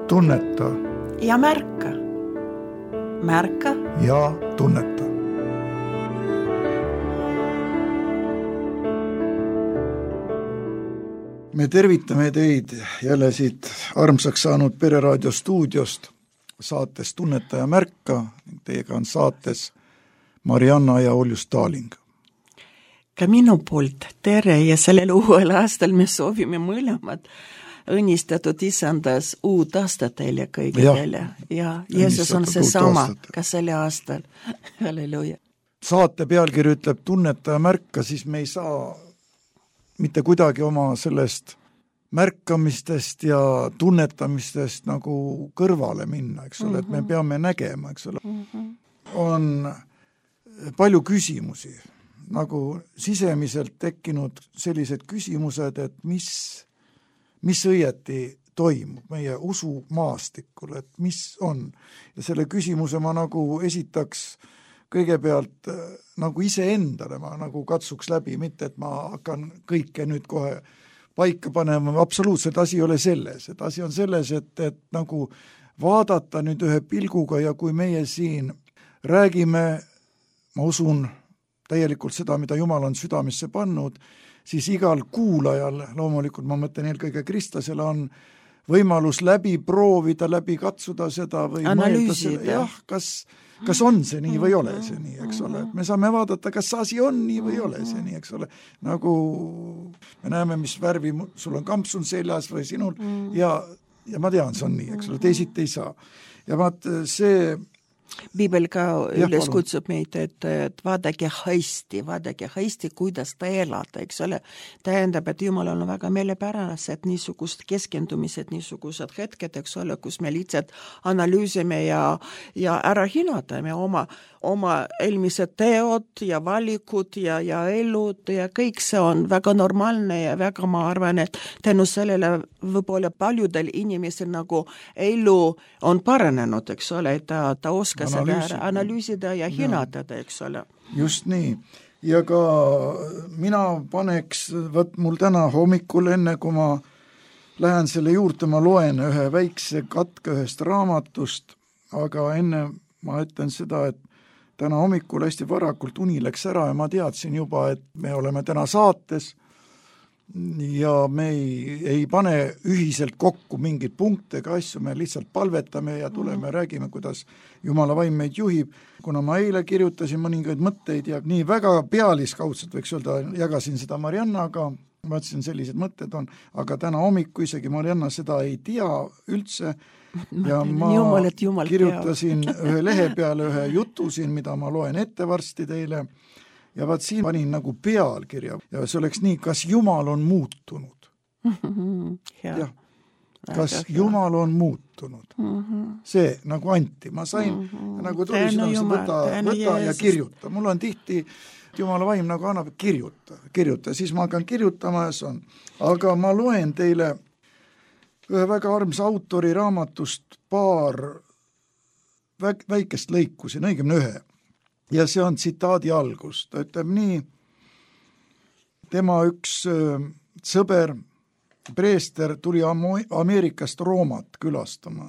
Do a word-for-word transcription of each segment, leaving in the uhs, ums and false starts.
tunneta ja märka. Märka ja tunneta. Me tervitame teid jälle siit armsaks saanud Pereraadio stuudiost saates Tunneta ja märka. Teiega on saates Marianna ja Oljus Taaling. Ka minu poolt tere ja sellel uuel aastal me soovime mõlemad õnnistatud isandas uut aastat teile kõigile. Ja Jeesus on see sama ka selle aastal. Halleluja. Saate pealkiri ütleb tunneta ja märka, siis me ei saa mitte kuidagi oma sellest märkamistest ja tunnetamistest nagu kõrvale minna, eks ole, et me peame nägema, eks ole. On palju küsimusi, nagu sisemiselt tekkinud sellised küsimused, et mis, mis õieti toimub meie usumaastikul, et mis on. Ja selle küsimuse ma nagu esitaks kõigepealt nagu iseendale, ma nagu katsuks läbi, mitte et ma hakkan kõike nüüd kohe paika panema, absoluutselt asi ei ole selles, et asi on selles, et, et nagu vaadata nüüd ühe pilguga ja kui meie siin räägime, ma usun täielikult seda, mida Jumal on südamesse pannud, siis igal kuulajal, loomulikult ma mõtlen eelkõige kristlasele, on võimalus läbi proovida, läbi katsuda seda või analüüsida. Jah, kas, kas on see nii või ole see nii, eks ole. Me saame vaadata, kas asi on nii või ole see nii, eks ole. Nagu me näeme, mis värvi sul on kampsun seljas või sinul ja, ja ma tean, see on nii, eks ole, teisiti ei saa. Ja vaat see Piibel ka üles kutsub meid, et, et vaadake hästi, vaadake hästi, kuidas ta elada, eks ole. Tähendab, et Jumalal on väga meelepärased niisugust keskendumised, niisugused hetked, eks ole, kus me lihtsalt analüüsime ja, ja ära hinnatame oma, oma eelmised teod ja valikud ja, ja elud ja kõik see on väga normaalne ja väga ma arvan, et tänu sellele võib-olla paljudel inimesel nagu elu on paranenud, eks ole, et ta, ta oskab analüüsida, analüüsida ja hinnatada, eks ole. Just nii. Ja ka mina paneks, võt mul täna hommikul enne, kui ma lähen selle juurde, ma loen ühe väikse katke ühest raamatust, aga enne ma ütlen seda, et täna hommikul hästi varakult uni läks ära ja ma teadsin juba, et me oleme täna saates ja me ei, ei pane ühiselt kokku mingeid punkte ega asju, me lihtsalt palvetame ja tuleme ja räägime, kuidas Jumala vaim meid juhib. Kuna ma eile kirjutasin mõningaid mõtteid ja nii väga pealiskaudselt võiks öelda, jagasin seda Mariannaga, ma ütlesin, sellised mõtted on, aga täna hommiku isegi Marianna seda ei tea üldse ja ma Jumal, et Jumal kirjutasin ühe lehe peale ühe jutu siin, mida ma loen ette varsti teile. Ja vaat siin panin nagu pealkirja ja see oleks nii, kas Jumal on muutunud. ja. Ja. Kas Jumal on muutunud. See nagu anti, ma sain nagu tuli südamesse, võta, võta ja kirjuta. Mul on tihti Jumala vaim nagu annab kirjuta, kirjuta, siis ma hakkan kirjutama ja see on. Aga ma loen teile ühe väga armsa autori raamatust paar väikest lõiku siin, õigemini ühe. Ja see on tsitaadi algus. Ta ütleb nii, tema üks sõber, preester, tuli Ameerikast Roomat külastama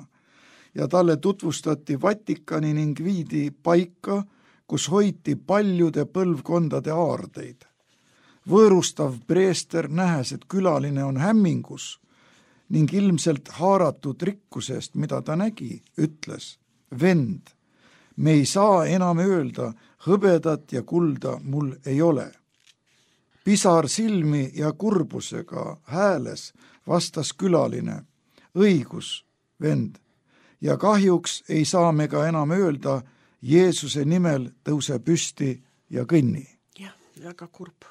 ja talle tutvustati Vatikani ning viidi paika, kus hoiti paljude põlvkondade aardeid. Võõrustav preester nähes, et külaline on hämmingus ning ilmselt haaratud rikkusest, mida ta nägi, ütles, vend, me ei saa enam öelda, hõbedat ja kulda mul ei ole. Pisar silmi ja kurbusega hääles vastas külaline, õigus, vend, ja kahjuks ei saa me ka enam öelda, Jeesuse nimel tõuse püsti ja kõnni. Jah, väga kurb.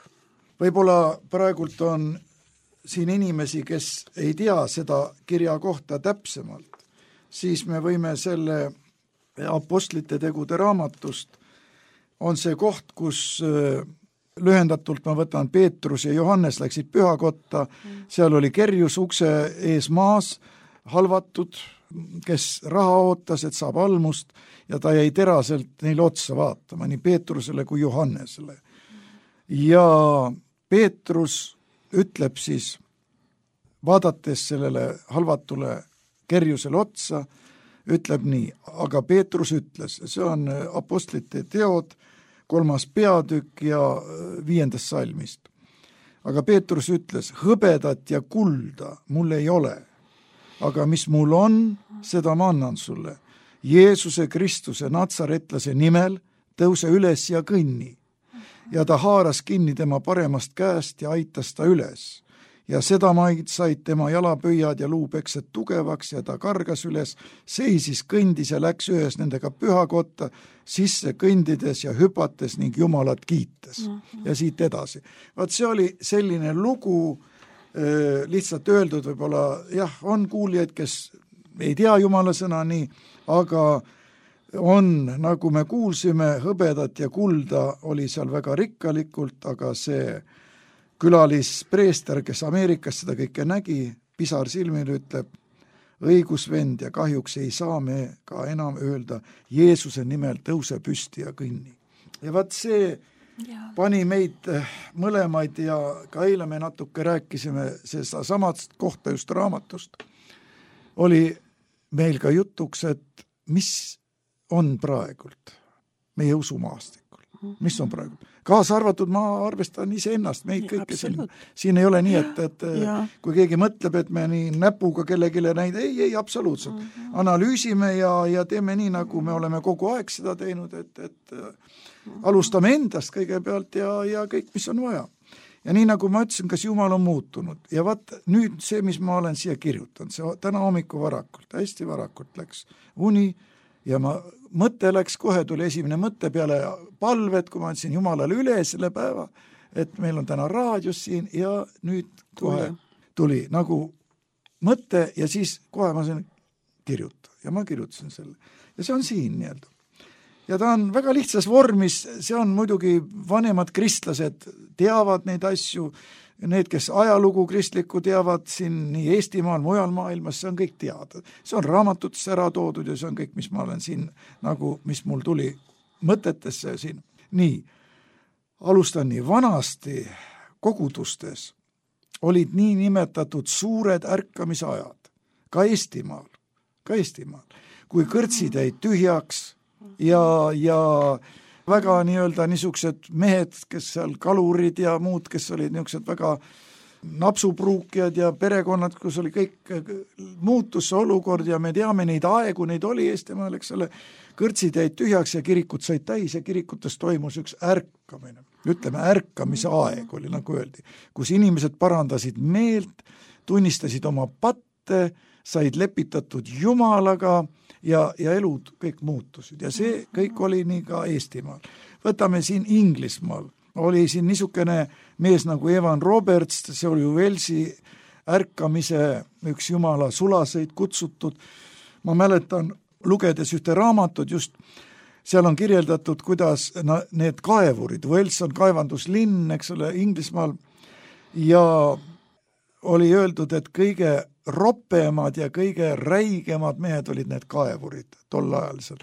Võib-olla praegult on siin inimesi, kes ei tea seda kirja kohta täpsemalt, siis me võime selle apostlite tegude raamatust on see koht, kus lühendatult ma võtan Peetrus ja Johannes läksid pühakotta, seal oli kerjus ukse ees maas, halvatud, kes raha ootas, et saab almust ja ta jäi teraselt neile otsa vaatama, nii Peetrusele kui Johannesele. Ja Peetrus ütleb siis, vaadates sellele halvatule kerjusele otsa, ütleb nii, aga Peetrus ütles, see on Apostlite teod, kolmas peatükk ja viiendast salmist. Aga Peetrus ütles, hõbedat ja kulda mul ei ole, aga mis mul on, seda ma annan sulle. Jeesuse Kristuse natsaretlase nimel tõuse üles ja kõnni. Ja ta haaras kinni tema paremast käest ja aitas ta üles. Ja seda maid said tema jalapöiad ja luupeksed tugevaks ja ta kargas üles, seisis, kõndis ja läks ühes nendega pühakotta, sisse kõndides ja hüpates ning Jumalat kiites. Mm-hmm. Ja siit edasi. Vaat see oli selline lugu, lihtsalt öeldud võib-olla, jah, on kuulijaid, kes ei tea Jumala sõna nii, aga on, nagu me kuulsime, hõbedat ja kulda oli seal väga rikkalikult, aga see külalispreester, kes Ameerikas seda kõike nägi, pisar silmil ütleb, õigusvend ja kahjuks ei saa me ka enam öelda Jeesuse nimel tõuse püsti ja kõnni. Ja vaat see ja. pani meid mõlemaid ja ka eile me natuke rääkisime seda samast kohta just raamatust. Oli meil ka jutuks, et mis on praegult meie usumaastikul, mis on praegult. Kaasa arvatud, ma arvestan ise ennast, meid kõike siin, siin ei ole nii, et, et ja. kui keegi mõtleb, et me nii näpuga kellegile näid, ei, ei, absoluutselt. Mm-hmm. Analüüsime ja, ja teeme nii, nagu me oleme kogu aeg seda teinud, et, et mm-hmm. alustame endast kõigepealt ja, ja kõik, mis on vaja. Ja nii nagu ma ütlesin, kas Jumal on muutunud. Ja vaat nüüd see, mis ma olen siia kirjutanud, see täna hommiku varakult, hästi varakult läks uni ja ma mõte läks, kohe tuli esimene mõte peale palvet, kui ma andsin Jumalale üle selle päeva, et meil on täna raadios siin ja nüüd kohe tuli nagu mõte ja siis kohe ma sain kirjutada ja ma kirjutasin selle. Ja see on siin nii-öelda. Ja ta on väga lihtsas vormis, see on muidugi vanemad kristlased teavad neid asju, need, kes ajalugu kristlikku teavad siin nii Eestimaal, mujal maailmas, see on kõik teada. See on raamatutes ära toodud ja see on kõik, mis ma olen siin, nagu, mis mul tuli mõtetesse siin. Nii, alustan nii, vanasti kogudustes olid nii nimetatud suured ärkamisajad, ka Eestimaal, ka Eestimaal, kui kõrtsid jäid tühjaks ja, ja väga nii-öelda niisugused mehed, kes seal kalurid ja muud, kes olid niisugused väga napsupruukjad ja perekonnad, kus oli kõik muutus see olukord ja me teame neid aegu, neid oli Eestimaal, eks ole, kõrtsid jäid tühjaks ja kirikud said täis ja kirikutes toimus üks ärkamine. Ütleme, ärkamise aeg oli, nagu öeldi, kus inimesed parandasid meelt, tunnistasid oma patte, said lepitatud Jumalaga ja, ja elud kõik muutusid. Ja see kõik oli nii ka Eestimaal. Võtame siin Inglismaal. Oli siin niisugune mees nagu Evan Roberts, see oli Walesi ärkamise üks Jumala sulaseid kutsutud. Ma mäletan, lugedes ühte raamatut just, seal on kirjeldatud, kuidas need kaevurid, Wales on kaevanduslinn, eks ole, Inglismaal, ja oli öeldud, et kõige ropemad ja kõige räigemad mehed olid need kaevurid tol ajal seal.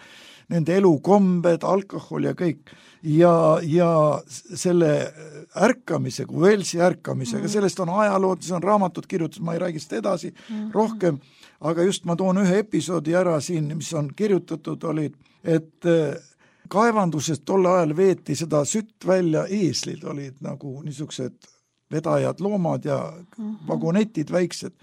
Nende elukombed, alkohol ja kõik. Ja, ja selle ärkamisega, Walesi ärkamisega, mm-hmm. sellest on ajalood, see on raamatud kirjutatud, ma ei räägi seda edasi mm-hmm. rohkem, aga just ma toon ühe episoodi ära siin, mis on kirjutatud, olid, et kaevandusest tol ajal veeti seda sütt välja, eeslid olid nagu niisugused vedajad loomad ja vagonetid väiksed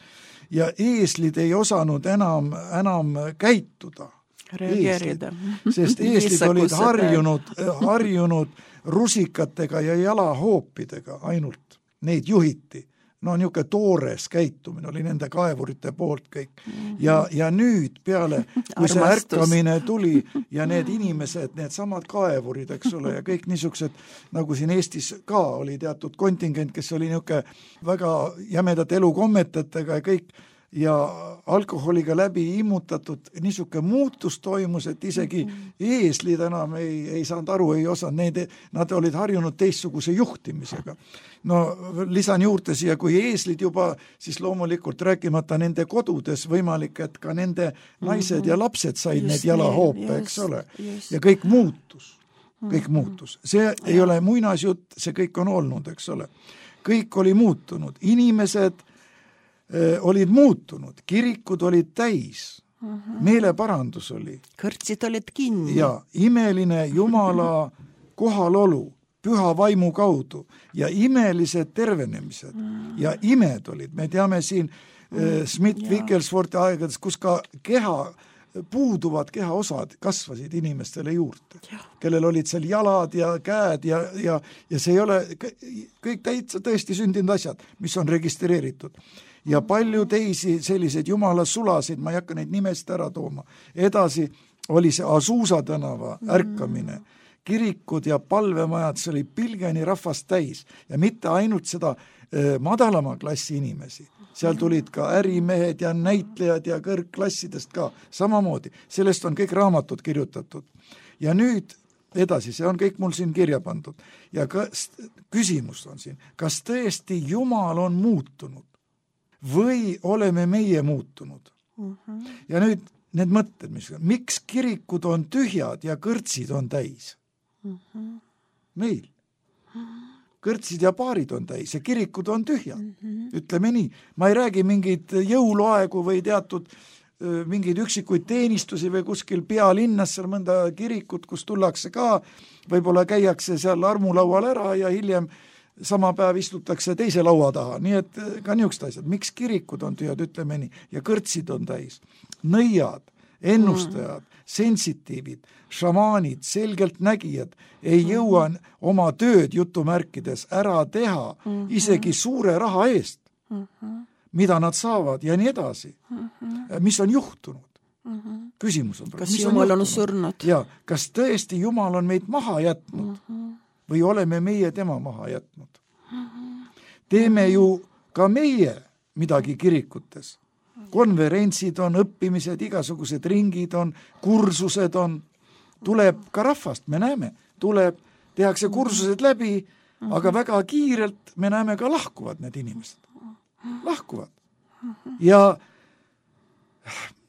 ja eeslid ei osanud enam, enam käituda. Reageerida. Sest eeslid olid harjunud, harjunud rusikatega ja jalahoopidega ainult. Neid juhiti. No niisugune toores käitumine oli nende kaevurite poolt kõik. Ja, ja nüüd peale, kui see ärkamine tuli ja need inimesed, need samad kaevurid, eks ole, ja kõik niisugused, nagu siin Eestis ka oli teatud kontingent, kes oli niisugune väga jämedate elukommetetega ja kõik, ja alkoholiga läbi immutatud niisugune muutus toimus, et isegi eeslid enam ei, ei saanud aru, ei osanud, need, nad olid harjunud teistsuguse juhtimisega. No lisan juurde siia, kui eeslid juba, siis loomulikult rääkimata nende kodudes võimalik, et ka nende naised mm-hmm. ja lapsed said just need jalahoope, eks ole. Just. Ja kõik muutus, kõik mm-hmm. muutus. See ja. ei ole muinasjutt, see kõik on olnud, eks ole. Kõik oli muutunud. Inimesed olid muutunud, kirikud olid täis, uh-huh. meeleparandus oli. Kõrtsid olid kinni. Ja imeline Jumala kohalolu püha vaimu kaudu ja imelised tervenemised uh-huh. ja imed olid. Me teame siin uh-huh. Smith-Wigglesworthi aegades, kus ka keha, puuduvad kehaosad kasvasid inimestele juurde, ja. kellel olid seal jalad ja käed ja, ja, ja see ei ole kõik täitsa tõesti sündinud asjad, mis on registreeritud. Ja palju teisi selliseid jumala sulasid, ma ei hakka neid nimest ära tooma. Edasi oli see Asuusa tänava ärkamine, kirikud ja palvemajad, see oli pilgeni rahvast täis ja mitte ainult seda eh, madalama klassi inimesi. Seal tulid ka ärimehed ja näitlejad ja kõrgklassidest ka samamoodi. Sellest on kõik raamatud kirjutatud. Ja nüüd edasi, see on kõik mul siin kirja pandud. Ja kas, küsimus on siin, kas tõesti Jumal on muutunud? Või oleme meie muutunud? Uh-huh. Ja nüüd need mõtted, mis, miks kirikud on tühjad ja kõrtsid on täis? Uh-huh. Meil. Kõrtsid ja paarid on täis ja kirikud on tühjad. Uh-huh. Ütleme nii. Ma ei räägi mingid jõuluaegu või teatud mingeid üksikuid teenistusi või kuskil pealinnas seal mõnda kirikut, kus tullakse ka, võib-olla käiakse seal armulaual ära ja hiljem sama päev istutakse teise laua taha, nii et ka niisugused asjad. Miks kirikud on tühjad, ütleme nii, ja kõrtsid on täis. Nõiad, ennustajad, mm. sensitiivid, šamaanid, selgelt nägijad ei jõua oma tööd jutumärkides ära teha mm-hmm. isegi suure raha eest, mm-hmm. mida nad saavad ja nii edasi. Mm-hmm. Mis on juhtunud? Mm-hmm. Küsimus on. Kas Jumal on, on surnud? Ja, kas tõesti Jumal on meid maha jätnud? Mm-hmm. Või oleme meie tema maha jätnud. Teeme ju ka meie midagi kirikutes. Konverentsid on, õppimised, igasugused ringid on, kursused on. Tuleb ka rahvast, me näeme. Tuleb, tehakse kursused läbi, aga väga kiirelt me näeme ka lahkuvad need inimesed. Lahkuvad. Ja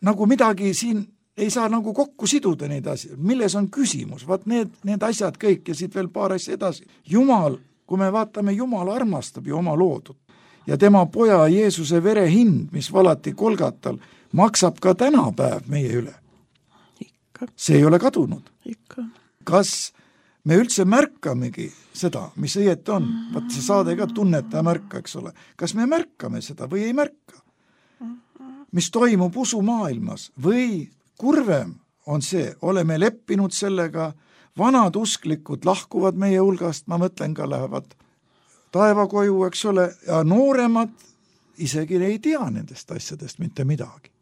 nagu midagi siin ei saa nagu kokku siduda neid asju. Milles on küsimus? Vaat need, need asjad kõik ja siit veel paar asja edasi. Jumal, kui me vaatame, Jumal armastab ju oma loodud. Ja tema poja Jeesuse vere hind, mis valati Kolgatal, maksab ka tänapäev meie üle. Ikka. See ei ole kadunud. Ikka. Kas me üldse märkamegi seda, mis õieti on? Vaat see saade ka tunneta ja märka, eks ole. Kas me märkame seda või ei märka? Mis toimub usumaailmas või kurvem on see, oleme leppinud sellega, vanad usklikud lahkuvad meie hulgast, ma mõtlen ka lähevad taevakoju, eks ole, ja nooremad isegi ei tea nendest asjadest mitte midagi.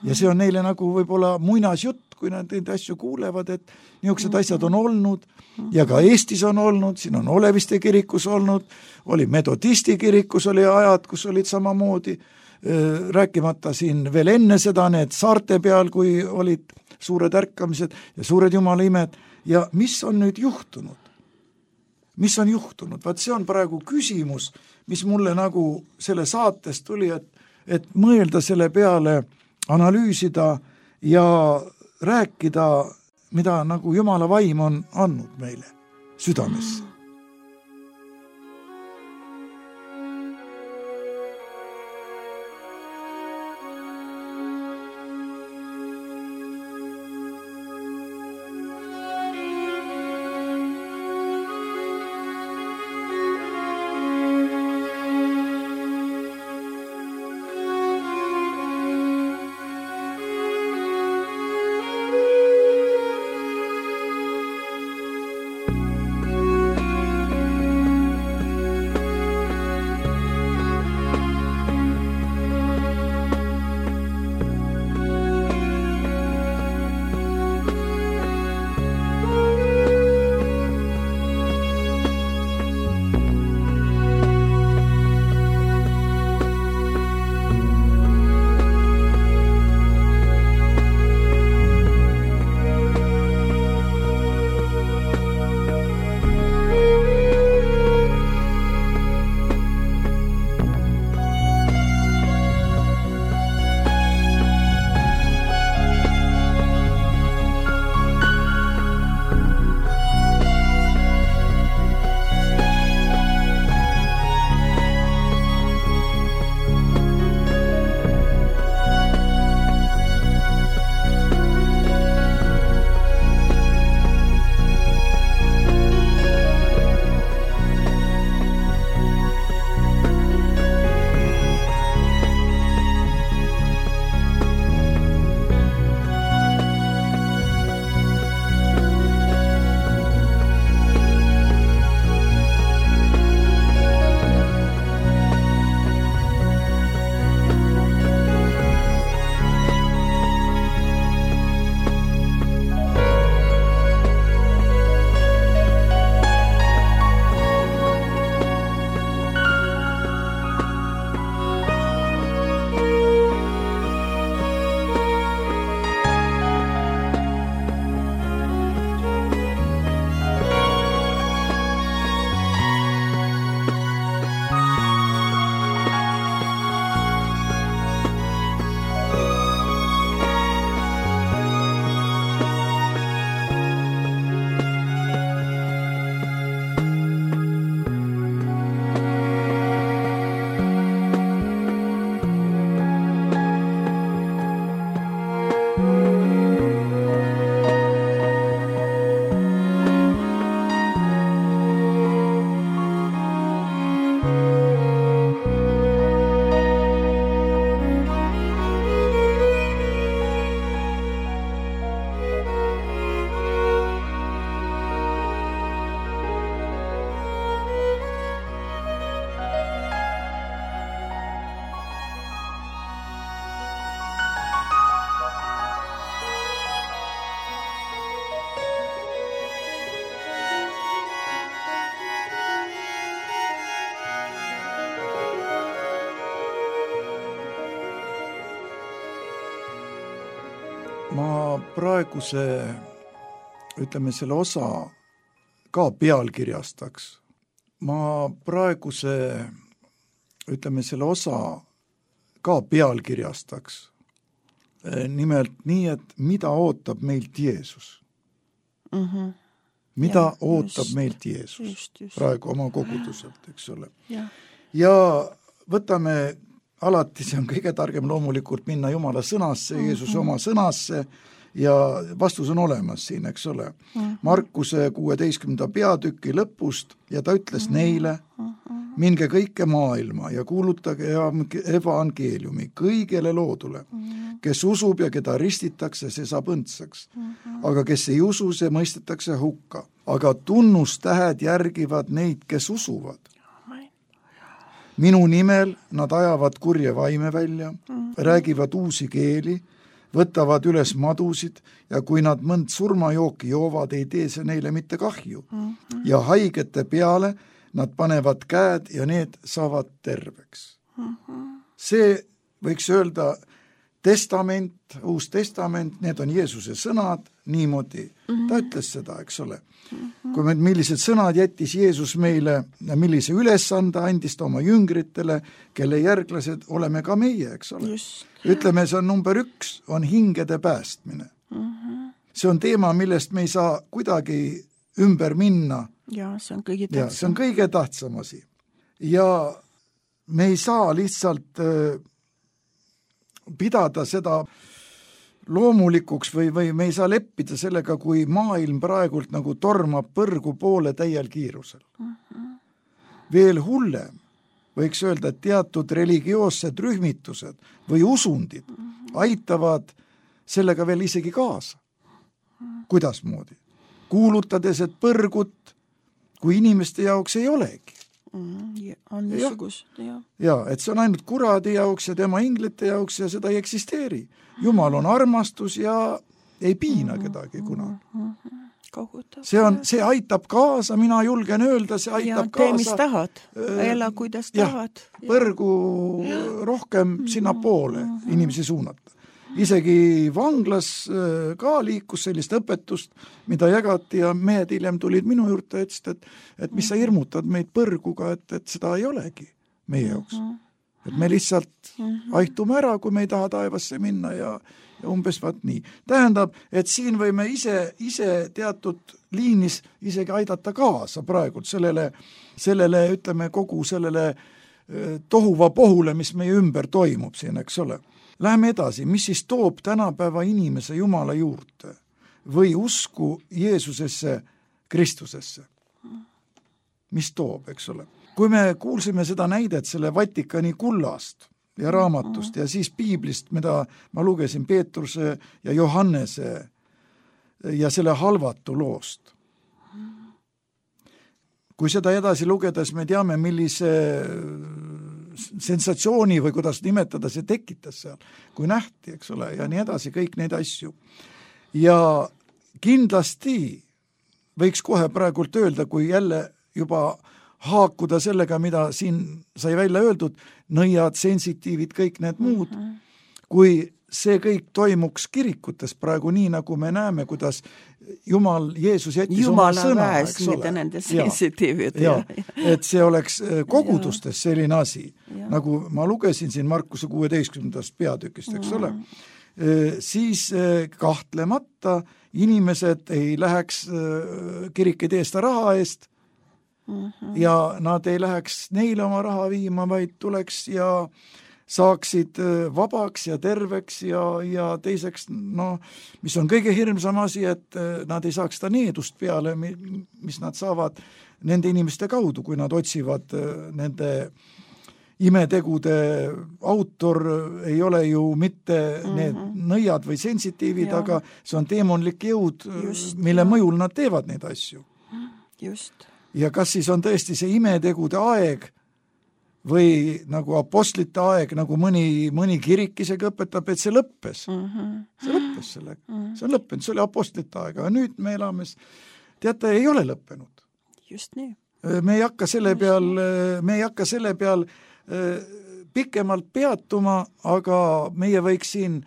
Ja see on neile nagu võib-olla muinasjutt, kui nad neid asju kuulevad, et niisugused asjad on olnud ja ka Eestis on olnud, siin on Oleviste kirikus olnud, oli Metodisti kirikus oli ajad, kus olid samamoodi, rääkimata siin veel enne seda need saarte peal, kui olid suured ärkamised ja suured jumala imed. Ja mis on nüüd juhtunud? Mis on juhtunud? Vaat see on praegu küsimus, mis mulle nagu selle saatest tuli, et, et mõelda selle peale, analüüsida ja rääkida, mida nagu jumala vaim on andnud meile südamesse. ma praeguse, ütleme selle osa ka pealkirjastaks. Ma praeguse, ütleme selle osa ka pealkirjastaks. Nimelt nii, et mida ootab meilt Jeesus? Mm-hmm. Mida ja, ootab just, meilt Jeesus just, just. Praegu oma koguduselt, eks ole. Ja. ja võtame alati, see on kõige targem loomulikult minna Jumala sõnasse, mm-hmm. Jeesuse oma sõnasse ja vastus on olemas siin, eks ole. Mm-hmm. Markuse kuueteistkümnenda peatüki lõpust ja ta ütles mm-hmm. neile, minge kõike maailma ja kuulutage evangeeliumi kõigele loodule. Mm-hmm. Kes usub ja keda ristitakse, see saab õndsaks. Mm-hmm. Aga kes ei usu, see mõistetakse hukka. Aga tunnustähed järgivad neid, kes usuvad. Minu nimel nad ajavad kurje vaime välja, mm-hmm. räägivad uusi keeli, võtavad üles madusid ja kui nad mõnd surmajooki joovad, ei tee see neile mitte kahju. Mm-hmm. Ja haigete peale nad panevad käed ja need saavad terveks. Mm-hmm. See võiks öelda testament, uus testament, need on Jeesuse sõnad, niimoodi. Mm-hmm. Ta ütles seda, eks ole. Mm-hmm. Kui me, millised sõnad jättis Jeesus meile ja millise ülesande andis ta oma jüngritele, kelle järglased oleme ka meie, eks ole. Just. Ütleme, see on number üks, on hingede päästmine. Mm-hmm. See on teema, millest me ei saa kuidagi ümber minna. Ja, see on kõige tähtsam. Ja, see on kõige tähtsam asi. Ja me ei saa lihtsalt äh, pidada seda loomulikuks või, või me ei saa leppida sellega, kui maailm praegult nagu tormab põrgu poole täiel kiirusel. Mm-hmm. Veel hullem võiks öelda, et teatud religioossed rühmitused või usundid mm-hmm. aitavad sellega veel isegi kaasa. Mm-hmm. Kuidasmoodi? Kuulutades, et põrgut kui inimeste jaoks ei olegi. Mm, on niisugust, ja. ja, et see on ainult kuradi jaoks ja tema inglite jaoks ja seda ei eksisteeri. Jumal on armastus ja ei piina kedagi kunagi. See, on, see aitab kaasa, mina julgen öelda, see aitab ja, kaasa. Tee, mis tahad, ela kuidas tahad. Ja, põrgu ja. rohkem sinna poole mm-hmm. inimesi suunata. Isegi vanglas ka liikus sellist õpetust, mida jagati ja mehed hiljem tulid minu juurde ja ütlesid, et, et mis sa hirmutad meid põrguga, et, et seda ei olegi meie jaoks. Et me lihtsalt aitume ära, kui me ei taha taevasse minna ja, ja umbes vaat nii. Tähendab, et siin võime ise, ise teatud liinis isegi aidata kaasa praegult sellele, sellele, ütleme, kogu sellele tohuva pohule, mis meie ümber toimub siin, eks ole. Läheme edasi, mis siis toob tänapäeva inimese Jumala juurde või usku Jeesusesse, Kristusesse? Mis toob, eks ole? Kui me kuulsime seda näidet selle Vatikani kullast ja raamatust ja siis piiblist, mida ma lugesin Peetruse ja Johannese ja selle halvatu loost. Kui seda edasi lugedes me teame, millise sensatsiooni või kuidas nimetada, see tekitas seal, kui nähti, eks ole, ja nii edasi, kõik neid asju. Ja kindlasti võiks kohe praegult öelda, kui jälle juba haakuda sellega, mida siin sai välja öeldud, nõiad, sensitiivid, kõik need muud, kui see kõik toimuks kirikutes praegu nii, nagu me näeme, kuidas Jumal, Jeesus jättis Jumala oma sõna, väes, eks ole. Nende sensitiivid. Ja, ja, et see oleks kogudustes selline asi, ja. Nagu ma lugesin siin Markuse kuueteistkümnendast peatükist, eks ole, siis kahtlemata inimesed ei läheks kirik ei tee seda raha eest mm-hmm. ja nad ei läheks neile oma raha viima, vaid tuleks ja saaksid vabaks ja terveks ja, ja teiseks, no, mis on kõige hirmsam asi, et nad ei saaks seda needust peale, mis nad saavad nende inimeste kaudu, kui nad otsivad nende imetegude autor ei ole ju mitte need mm-hmm. nõiad või sensitiivid, ja. Aga see on teemonlik jõud, just, mille ja. Mõjul nad teevad neid asju. Just. Ja kas siis on tõesti see imetegude aeg või nagu apostlite aeg, nagu mõni, mõni kirik isegi õpetab, et see lõppes. Mm-hmm. See lõppes sellega. Mm-hmm. See on lõppenud, see oli apostlite aeg, aga nüüd me elame, teate, ei ole lõppenud. Just nii. Me ei hakka selle peal, me ei hakka selle peal pikemalt peatuma, aga meie võiks siin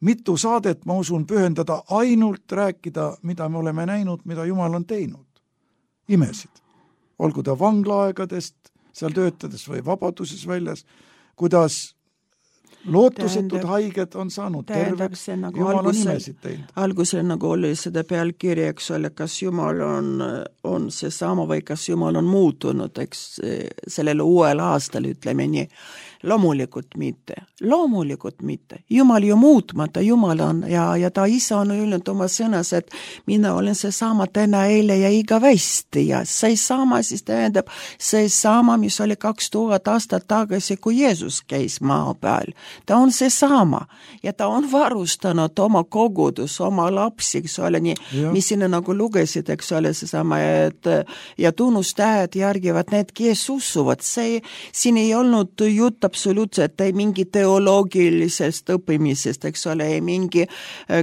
mitu saadet, ma usun, pühendada ainult rääkida, mida me oleme näinud, mida Jumal on teinud. Imesid. Olgu ta vanglaaegadest seal töötades või vabaduses väljas, kuidas lootusetud tähendab, haiged on saanud terveks, nagu Jumal algusel, on imesid teinud. Algusel nagu oli seda pealkirja, eks ole, kas Jumal on, on see sama või kas Jumal on muutunud, eks sellele uuel aastal, ütleme nii. Loomulikult mitte, loomulikult mitte. Jumal ju muutmata, Jumal on ja, ja ta isa on öelnud oma sõnas, et mina olen see sama täna, eile ja igavesti ja see sama siis tähendab see sama, mis oli kaks tuhat aastat tagasi, kui Jeesus käis maa peal. Ta on see sama ja ta on varustanud oma kogudus, oma lapsi, eks ole, nii, mis sinna nagu lugesid, eks ole, see sama, et ja tunnustähed järgivad need, kes usuvad. See, siin ei olnud jutt absoluutselt ei mingi teoloogilisest õppimisest, eks ole, ei mingi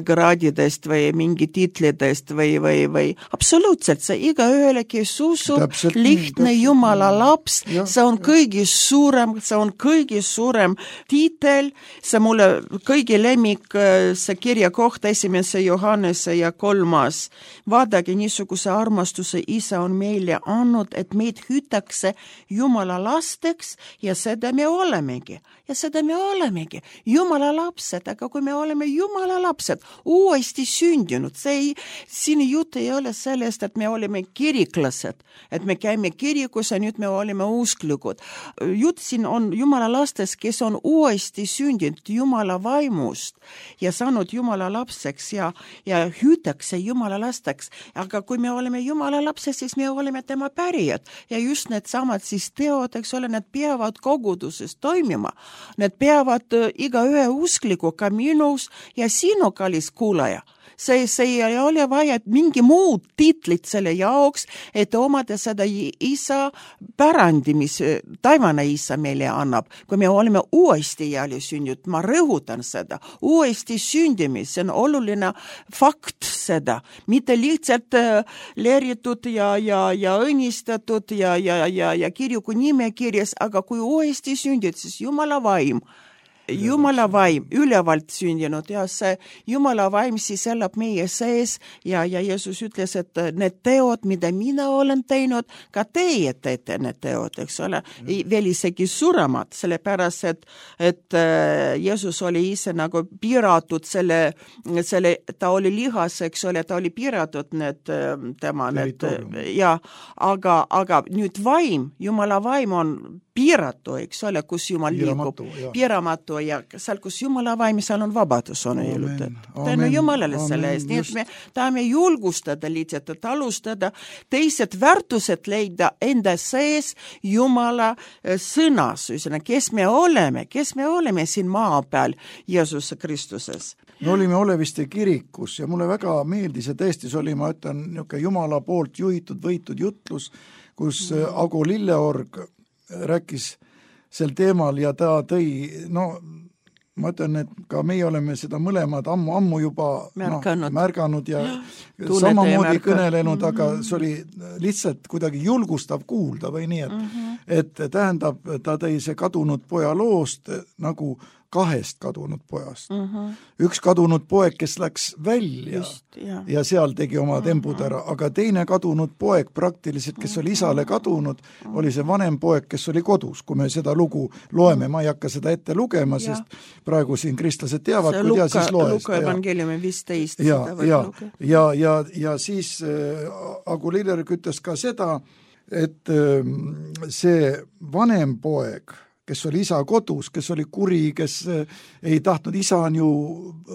graadidest või mingi titlidest või, või, või absoluutselt see iga ühele, kes usub, täpselt, lihtne täpselt, Jumala laps, ja, see on kõigi suurem, see on kõigi suurem tiitel, see mulle kõigi lemmik, see kirja kohta esimese Johannese ja kolmas. Vaadake, niisuguse armastuse isa on meile andnud, et meid hüütakse Jumala lasteks ja seda me oleme. Ja seda me olemegi. Jumala lapsed, aga kui me oleme Jumala lapsed, uuesti sündinud, see ei, siin jutt ei ole sellest, et me oleme kiriklased, et me käime kirikus ja nüüd me oleme usklikud. Jutt siin on Jumala lastest, kes on uuesti sündinud Jumala vaimust ja saanud Jumala lapseks ja, ja hüütakse Jumala lasteks. Aga kui me oleme Jumala lapsed, siis me oleme tema pärijad ja just need samad siis teod, eks ole, need peavad koguduses toimima. Need peavad iga ühe uskliku ka minus ja sinu kallis kuulaja. See, see ei ole vaja mingi muud titlit selle jaoks, et omada seda isa pärandi, mis taivane isa meile annab. Kui me oleme uuesti jälle sündinud, ma rõhutan seda, uuesti sündimis, see on oluline fakt seda, mitte lihtsalt leeritud ja, ja, ja õnnistatud ja, ja, ja, ja kirjuku nimekirjas, aga kui uuesti sündid, siis Jumala vaim. Jumala vaim, ülevalt sündinud ja see Jumala vaim siis elab meie sees ja, ja Jeesus ütles, et need teod, mida mina olen teinud, ka teie teete need teod, eks ole, veel isegi suuremad, sellepärast, et, et Jeesus oli ise nagu piiratud selle, selle, ta oli lihas, eks ole, ta oli piiratud need tema, need, ja, aga, aga nüüd vaim, Jumala vaim on piiratu, eks ole, kus Jumal liigub, piiramatu ja seal, kus Jumala vaim, seal on vabadus, on öeldud. Tänu Jumalale selle eest. Nii et me tahame julgustada lihtsalt, et alustada teised väärtused leida enda sees Jumala sõnas, kes me oleme, kes me oleme siin maa peal Jeesuse Kristuses. Me olime Oleviste kirikus ja mulle väga meeldis ja tõesti see oli, ma ütlen, niisugune Jumala poolt juhitud, võitud jutlus, kus Ago Lilleorg rääkis sel teemal ja ta tõi, no ma ütlen, et ka meie oleme seda mõlemad ammu-ammu juba märganud, no, märganud ja samamoodi kõnelenud, aga see oli lihtsalt kuidagi julgustav kuulda või nii, et, mm-hmm. et tähendab, ta tõi see kadunud poja loost nagu kahest kadunud pojast. Mm-hmm. Üks kadunud poeg, kes läks välja Just, ja. ja seal tegi oma tembud ära, aga teine kadunud poeg praktiliselt, kes oli isale kadunud, oli see vanem poeg, kes oli kodus. Kui me seda lugu loeme, ma ei hakka seda ette lugema, ja. sest praegu siin kristlased teavad, kui tea, siis loe. Luka evangeeliumi viisteist. Ja, ja, ja, ja, ja siis äh, Agu Lilleorg ütles ka seda, et äh, see vanem poeg, kes oli isa kodus, kes oli kuri, kes ei tahtnud, isa on ju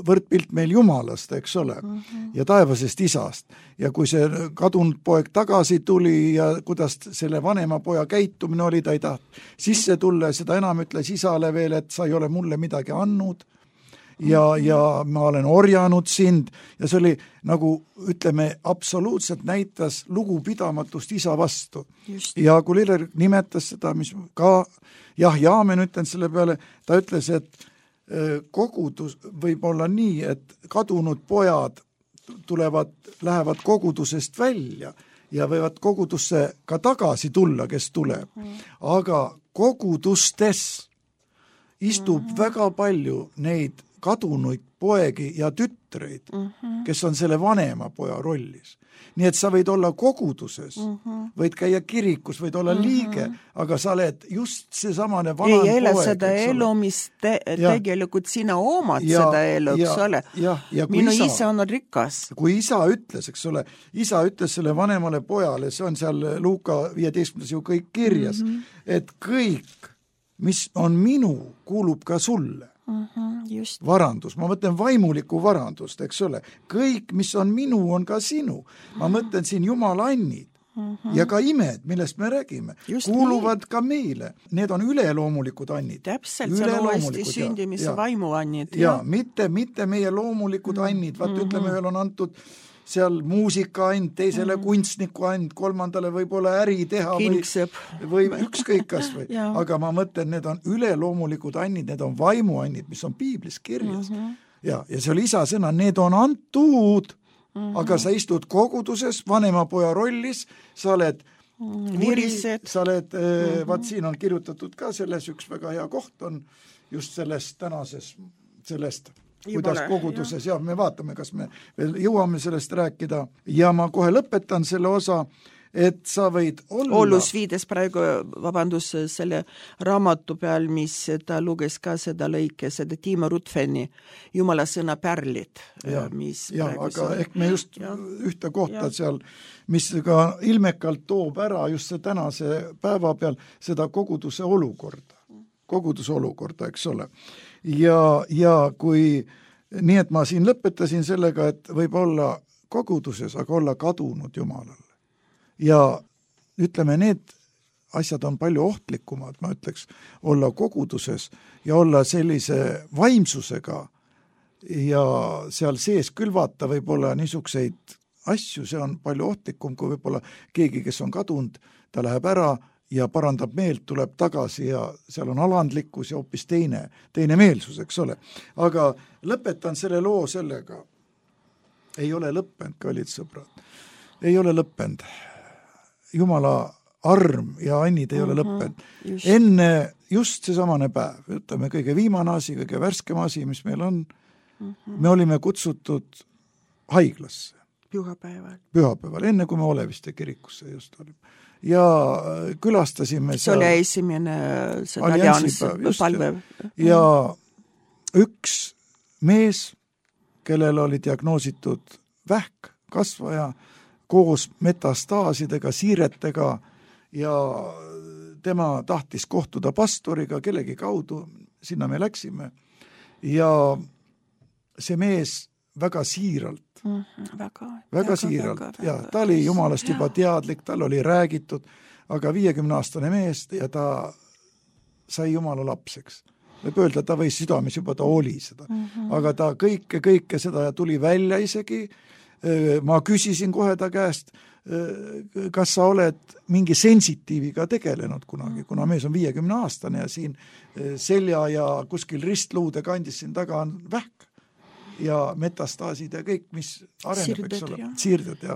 võrdpilt meil Jumalast, eks ole, mm-hmm. ja taevasest isast. Ja kui see kadunud poeg tagasi tuli ja kuidas selle vanema poja käitumine oli, ta ei taht sisse tulla ja seda enam ütles isale veel, et sa ei ole mulle midagi andnud ja, ja ma olen orjanud sind ja see oli nagu, ütleme, absoluutselt näitas lugupidamatust isa vastu. Just. Ja kui Liller nimetas seda, mis ka jah, Jaamen ütlen selle peale, ta ütles, et kogudus võib olla nii, et kadunud pojad tulevad, lähevad kogudusest välja ja võivad kogudusse ka tagasi tulla, kes tuleb. Aga kogudustes istub mm-hmm. väga palju neid kadunuid poegi ja tütreid, mm-hmm. kes on selle vanema poja rollis. Nii et sa võid olla koguduses, mm-hmm. võid käia kirikus, võid olla mm-hmm. liige, aga sa oled just see samane vanem poeg. Ei ele seda elu, mis te, tegelikult sina omad ja, seda elu, eks ole. Minu isa, isa on rikas. Kui isa ütles, eks ole, isa ütles selle vanemale pojale, see on seal Luuka viieteistkümnes ju kõik kirjas, mm-hmm. et kõik, mis on minu, kuulub ka sulle. Mm-hmm, just. Varandus, ma mõtlen vaimulikku varandust, eks ole, kõik, mis on minu, on ka sinu. Ma mõtlen siin Jumala annid mm-hmm. ja ka imed, millest me räägime, just kuuluvad nii. Ka meile. Need on üleloomulikud annid. Täpselt, see on uuesti sündimise vaimuannid. Ja, ja mitte, mitte meie loomulikud mm-hmm. annid, vaat mm-hmm. ütleme, ühel on antud seal muusika and, teisele mm-hmm. kunstniku and, kolmandale võib-olla äri teha või, või ükskõik kas või. Aga ma mõtlen, need on üleloomulikud annid, need on vaimuannid, mis on piiblis kirjas. Mm-hmm. Ja, ja see oli isa sõna, need on antud, mm-hmm. aga sa istud koguduses, vanema poja rollis, sa oled kuri, sa oled, mm-hmm. vaat siin on kirjutatud ka selles, üks väga hea koht on just sellest tänases, sellest kuidas koguduses, ja. ja me vaatame, kas me veel jõuame sellest rääkida ja ma kohe lõpetan selle osa, et sa võid olla... Ollus viides praegu, vabandus, selle raamatu peal, mis ta luges ka seda lõike, seda Timo Rutfeni Jumala sõna pärlid. Ja, mis ja aga see... ehk me just ja. Ühte kohta ja. Seal, mis ka ilmekalt toob ära just see tänase päeva peal seda koguduse olukorda. Koguduse olukorda, eks ole. Ja, ja kui, nii et ma siin lõpetasin sellega, et võib olla koguduses, aga olla kadunud Jumalale. Ja ütleme, need asjad on palju ohtlikumad, ma ütleks, olla koguduses ja olla sellise vaimsusega ja seal sees külvata võib-olla niisuguseid asju, see on palju ohtlikum, kui võib-olla keegi, kes on kadunud, ta läheb ära ja parandab meelt, tuleb tagasi ja seal on alandlikkus ja hoopis teine, teine meelsus, eks ole. Aga lõpetan selle loo sellega. Ei ole lõppenud, kallid sõbrad. Ei ole lõppenud. Jumala arm ja annid ei ole lõppenud. Just. Enne just see samane päev, ütleme kõige viimane asi, kõige värskem asi, mis meil on, mm-hmm. me olime kutsutud haiglasse. Pühapäeval. Pühapäeval, enne kui me Oleviste kirikusse just olime. Ja külastasime see oli esimene allianss palve. Ja üks mees, kellel oli diagnoositud vähk, kasvaja, koos metastaasidega, siiretega ja tema tahtis kohtuda pastoriga kellegi kaudu, sinna me läksime ja see mees väga siiralt Mm, väga, väga, väga siiralt, väga, ja ta oli Jumalast juba teadlik, tal oli räägitud, aga viiekümne aastane mees ja ta sai Jumala lapseks. Võib öelda, ta võis südames juba, ta oli seda. Mm-hmm. Aga ta kõike, kõike seda tuli välja isegi. Ma küsisin kohe ta käest, kas sa oled mingi sensitiiviga tegelenud kunagi, kuna mees on viiekümne aastane ja siin selja ja kuskil ristluude kandis siin taga on vähk. Ja metastaasid ja kõik, mis areneb, Sirded, eks ole, siirded ja.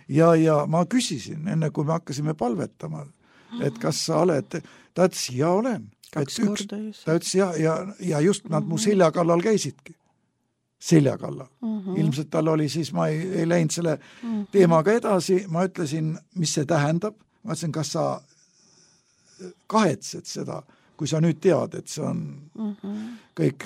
ja ja ma küsisin, enne kui me hakkasime palvetama, et kas sa oled, ta ütles, ja olen. Kaks üks, korda just. Ta ütles, ja, ja, ja just nad mm-hmm. mu selja kallal käisidki. Selja kallal. Mm-hmm. Ilmselt tal oli siis, ma ei, ei läinud selle mm-hmm. teemaga edasi, ma ütlesin, mis see tähendab, ma ütlesin, kas sa kahetsed seda, kui sa nüüd tead, et see on mm-hmm. kõik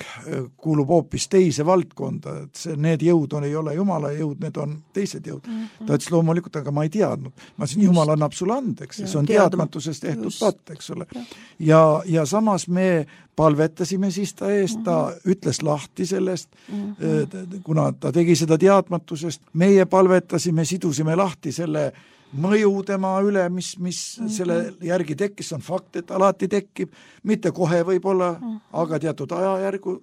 kuulub hoopis teise valdkonda, et see, need jõud on, ei ole Jumala jõud, need on teised jõud. Mm-hmm. Ta ütles loomulikult, aga ma ei teadnud. Ma ütlesin, Jumal annab sulle andeks, see on teadmatusest tehtud patt, eks ole. Ja, ja samas me palvetasime siis ta eest, ta mm-hmm. ütles lahti sellest, mm-hmm. kuna ta tegi seda teadmatusest, meie palvetasime, sidusime lahti selle mõju tema üle, mis, mis mm-hmm. selle järgi tekkis, on fakt, et alati tekkib, mitte kohe võib-olla, mm-hmm. aga teatud ajajärgu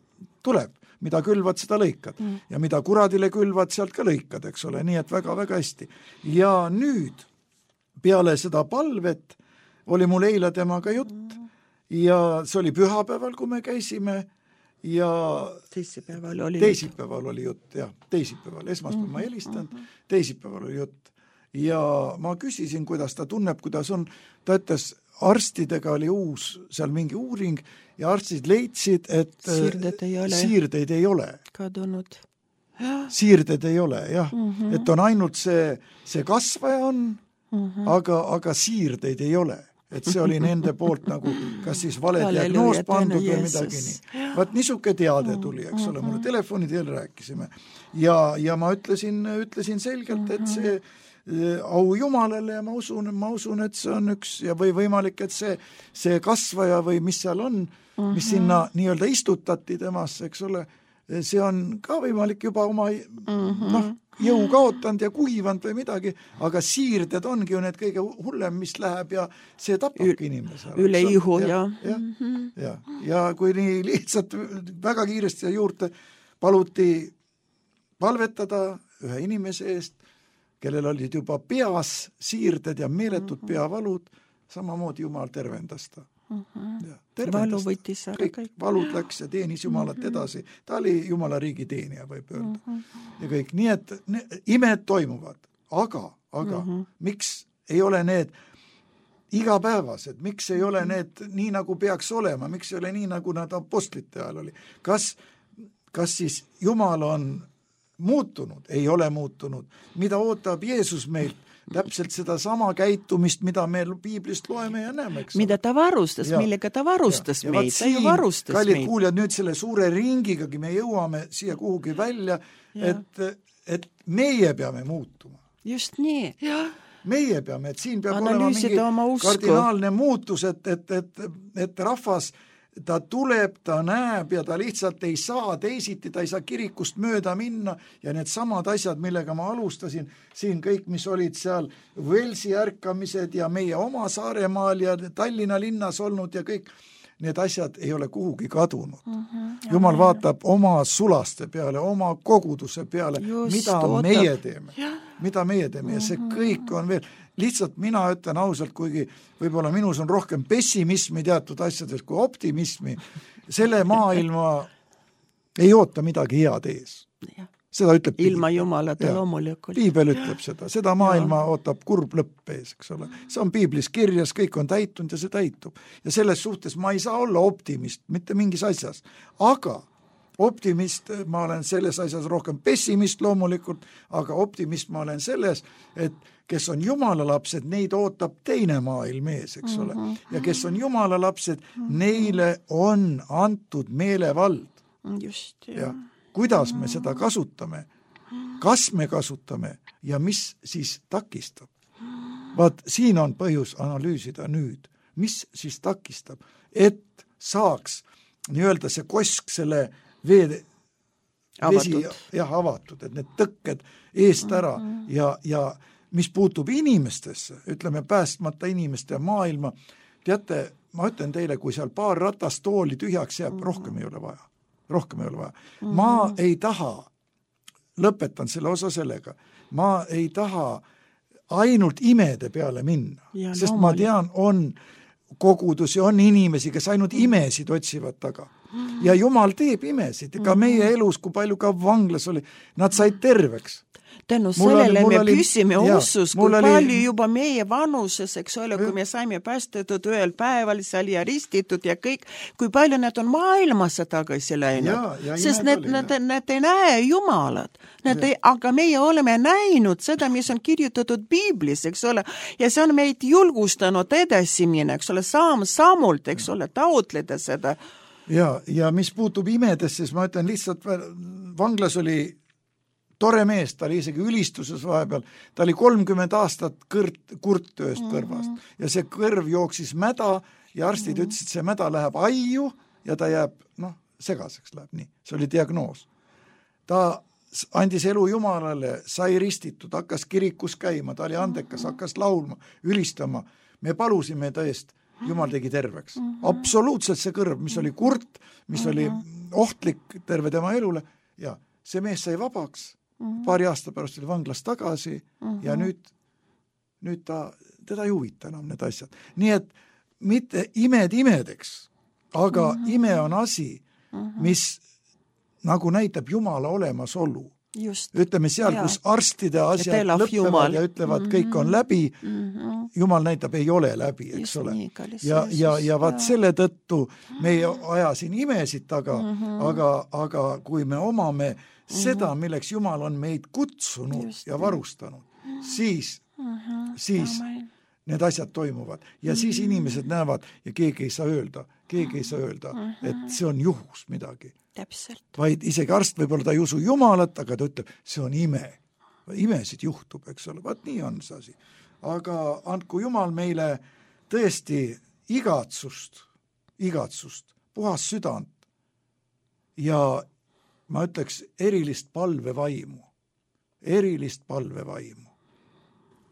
tuleb, mida külvad, seda lõikad. Mm-hmm. Ja mida kuradile külvad, sealt ka lõikad, eks ole, nii et väga-väga hästi. Ja nüüd, peale seda palvet, oli mul eile temaga jutt mm-hmm. ja see oli pühapäeval, kui me käisime ja teisipäeval oli, teisipäeval oli jutt, jah, teisipäeval, esmaspäeval mm-hmm. ma helistanud, mm-hmm. teisipäeval oli jutt. Ja ma küsisin, kuidas ta tunneb, kuidas on, ta ütles, arstidega oli uus seal mingi uuring ja arstid leidsid, et siirdeid ei ole, siirdeid ei ole. kadunud. Siirdeid ei ole, jah. Mm-hmm. Et on ainult see, see kasvaja on, mm-hmm. aga, aga siirdeid ei ole. Et see oli nende poolt nagu, kas siis vale diagnoos pandud või midagi nii. Vaat niisuke teade tuli, eks ole, mulle telefoni teel rääkisime. Ja, ja ma ütlesin, ütlesin selgelt, et see au Jumalale ja ma usun, ma usun, et see on üks ja või võimalik, et see, see kasvaja või mis seal on, mis sinna nii-öelda istutati temasse, eks ole, see on ka võimalik juba oma noh, jõu kaotanud ja kuivanud või midagi, aga siirded ongi ju need kõige hullem, mis läheb ja see tapabki inimese. Üle ihu, ja. Ja, ja, ja kui nii lihtsalt väga kiiresti juurde paluti palvetada ühe inimese eest, kellel olid juba peas siirded ja meeletud peavalud, samamoodi Jumal tervendas ta. Ja, valu võttis ära kõik, kõik. Valud läks ja teenis Jumalat edasi. Ta oli Jumala riigi teenija, võib öelda. Ja kõik. Nii et ne, imed toimuvad. Aga, aga mm-hmm. miks ei ole need igapäevased? Miks ei ole need nii, nagu peaks olema? Miks ei ole nii, nagu nad apostlite ajal oli? Kas, kas siis Jumal on muutunud? Ei ole muutunud. Mida ootab Jeesus meilt? Täpselt seda sama käitumist, mida me piiblist loeme ja näeme. Eks mida ta varustas, ja, millega ta varustas ja, meid. Ta ju varustas kallid meid. Kuuljad, nüüd selle suure ringigagi me jõuame siia kuhugi välja, et, et meie peame muutuma. Just nii. Ja. Meie peame, et siin peab Analüüsida olema mingi kardinaalne muutus, et, et, et, et rahvas ta tuleb, ta näeb ja ta lihtsalt ei saa teisiti, ta ei saa kirikust mööda minna ja need samad asjad, millega ma alustasin, siin kõik, mis olid seal Velsi ärkamised ja meie oma Saaremaal ja Tallinna linnas olnud ja kõik, need asjad ei ole kuhugi kadunud. Mm-hmm. Jumal vaatab oma sulaste peale, oma koguduse peale, Just, mida ootab. meie teeme. Ja. Mida meie teeme ja see kõik on veel lihtsalt mina ütlen ausalt, kuigi võib-olla minus on rohkem pessimismi teatud asjades kui optimismi, selle maailma ei oota midagi head ees. Seda ütleb ilma Jumalata loomulikult. Piibel ütleb seda, seda maailma ja. ootab kurb lõpp ees, eks ole. See on piiblis kirjas, kõik on täitunud ja see täitub. Ja selles suhtes ma ei saa olla optimist, mitte mingis asjas. Aga optimist, ma olen selles asjas rohkem pessimist loomulikult, aga optimist ma olen selles, et kes on Jumala lapsed, neid ootab teine maailm ees, eks ole. Ja kes on Jumala lapsed, neile on antud meelevald. Just, ja. Kuidas me seda kasutame, kas me kasutame ja mis siis takistab. Vaat siin on põhjus analüüsida nüüd, mis siis takistab, et saaks nii-öelda see kosk selle vee vesi jah, avatud, et need tõkked eest ära ja, ja mis puutub inimestesse, ütleme päästmata inimeste maailma, teate, ma ütlen teile, kui seal paar ratastooli tühjaks jääb, rohkem ei ole vaja. Rohkem ei ole vaja. Ma ei taha, lõpetan selle osa sellega, ma ei taha ainult imede peale minna, ja, sest no, ma tean, on kogudusi, on inimesi, kes ainult imesid otsivad taga. Ja Jumal teeb imesid, ka meie elus, kui palju ka vanglas oli, nad said terveks. Tänu sellele me oli, püsime ja, ussus, kui oli, palju juba meie vanuses, eks ole, kui me saime päästetud ühel päeval seal ja ristitud ja kõik, kui palju need on maailmasse tagasi läinud. Sest need, oli, need, need ei näe Jumalat. Ei, aga meie oleme näinud seda, mis on kirjutatud piiblis, eks ole, ja see on meid julgustanud edasi minna, eks ole, saam sammult, eks ole, taotleda seda. Ja, ja mis puutub imedest, siis ma ütlen lihtsalt, vanglas oli tore mees, ta oli isegi ülistuses vahepeal, ta oli kolmkümmend aastat kõrt, kurttööst kõrvast mm-hmm. ja see kõrv jooksis mäda ja arstid mm-hmm. ütlesid, see mäda läheb aiu ja ta jääb, noh, segaseks läheb nii, see oli diagnoos. Ta andis elu Jumalale, sai ristitud, hakkas kirikus käima, ta oli andekas, hakkas laulma, ülistama, me palusime ta eest, Jumal tegi terveks. Mm-hmm. Absoluutselt see kõrv, mis oli kurt, mis mm-hmm. oli ohtlik terve tema elule ja see mees sai vabaks. Mm-hmm. Paari aasta pärast oli vanglas tagasi mm-hmm. ja nüüd, nüüd ta, teda ei huvita enam need asjad. Nii et mitte imed imedeks, aga mm-hmm. ime on asi, mm-hmm. mis nagu näitab Jumala olemasolu. Just. Ütleme seal, ja. kus arstide asjad lõppevad Jumal. Ja ütlevad, mm-hmm. kõik on läbi, mm-hmm. Jumal näitab, ei ole läbi, eks Just ole. Nii, kallis, ja, ja, ja vaat selle tõttu me ei aja siin imesid taga, mm-hmm. aga, aga kui me omame mm-hmm. seda, milleks Jumal on meid kutsunud Just ja varustanud, mm-hmm. siis, mm-hmm. siis Amen. Need asjad toimuvad. Ja mm-hmm. siis inimesed näevad ja keegi ei saa öelda, keegi ei saa öelda, mm-hmm. et see on juhus midagi. Täpselt. Vaid isegi arst võib-olla ta ei usu Jumalat, aga ta ütleb, see on ime. Imesid juhtub, eks ole. Vaat nii on see asi. Aga andku Jumal meile tõesti igatsust, igatsust, puhas südant ja ma ütleks erilist palvevaimu, erilist palvevaimu.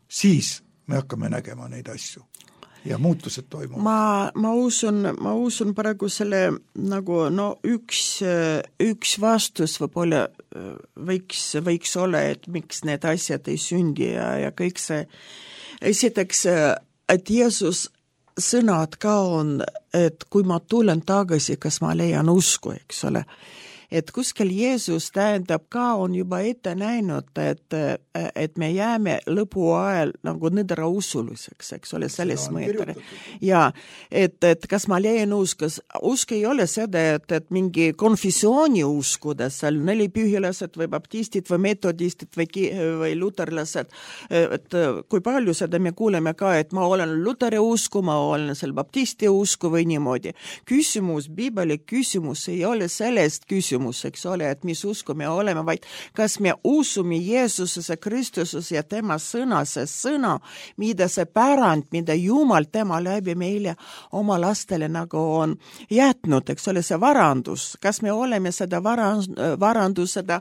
Siis me hakkame nägema neid asju ja muutused toimuvad. Ma, ma usun, ma usun praegu selle nagu no üks, üks vastus võib-olla võiks, võiks olla, et miks need asjad ei sündi ja, ja kõik see. Esiteks, et Jeesus sõnad ka on, et kui ma tulen tagasi, kas ma leian usku, eks ole. Et kuskil Jeesus tähendab ka on juba ette näinud, et, et me jääme lõpu ajal nagu nõdra usuliseks, eks ole, selles mõttes. Ja, et, et kas ma leian uskus, usk ei ole seda, et, et mingi konfessiooni uskuda, seal nelipühilased või baptistid või metodistid või, või luterlased, et kui palju seda me kuuleme ka, et ma olen luteri usku, ma olen seal baptisti usku või niimoodi. Küsimus, Biibeli küsimus ei ole sellest küsimus, eks ole, et mis usku me oleme, vaid kas me usume Jeesusesse, Kristusesse ja tema sõna, see sõna, mida see pärand, mida Jumal tema läbi meile oma lastele nagu on jätnud, eks ole, see varandus, kas me oleme seda varandus, seda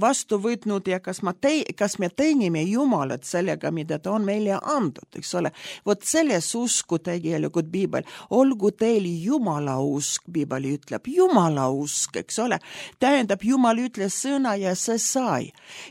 vastu võtnud ja kas, ma te, kas me teenime Jumalat sellega, mida ta on meile andnud, eks ole. Vot selles usku tegelikult Biibel, olgu teil Jumala usk, Biibel ütleb, Jumala usk, eks ole, tähendab Jumal ütles sõna ja see sai.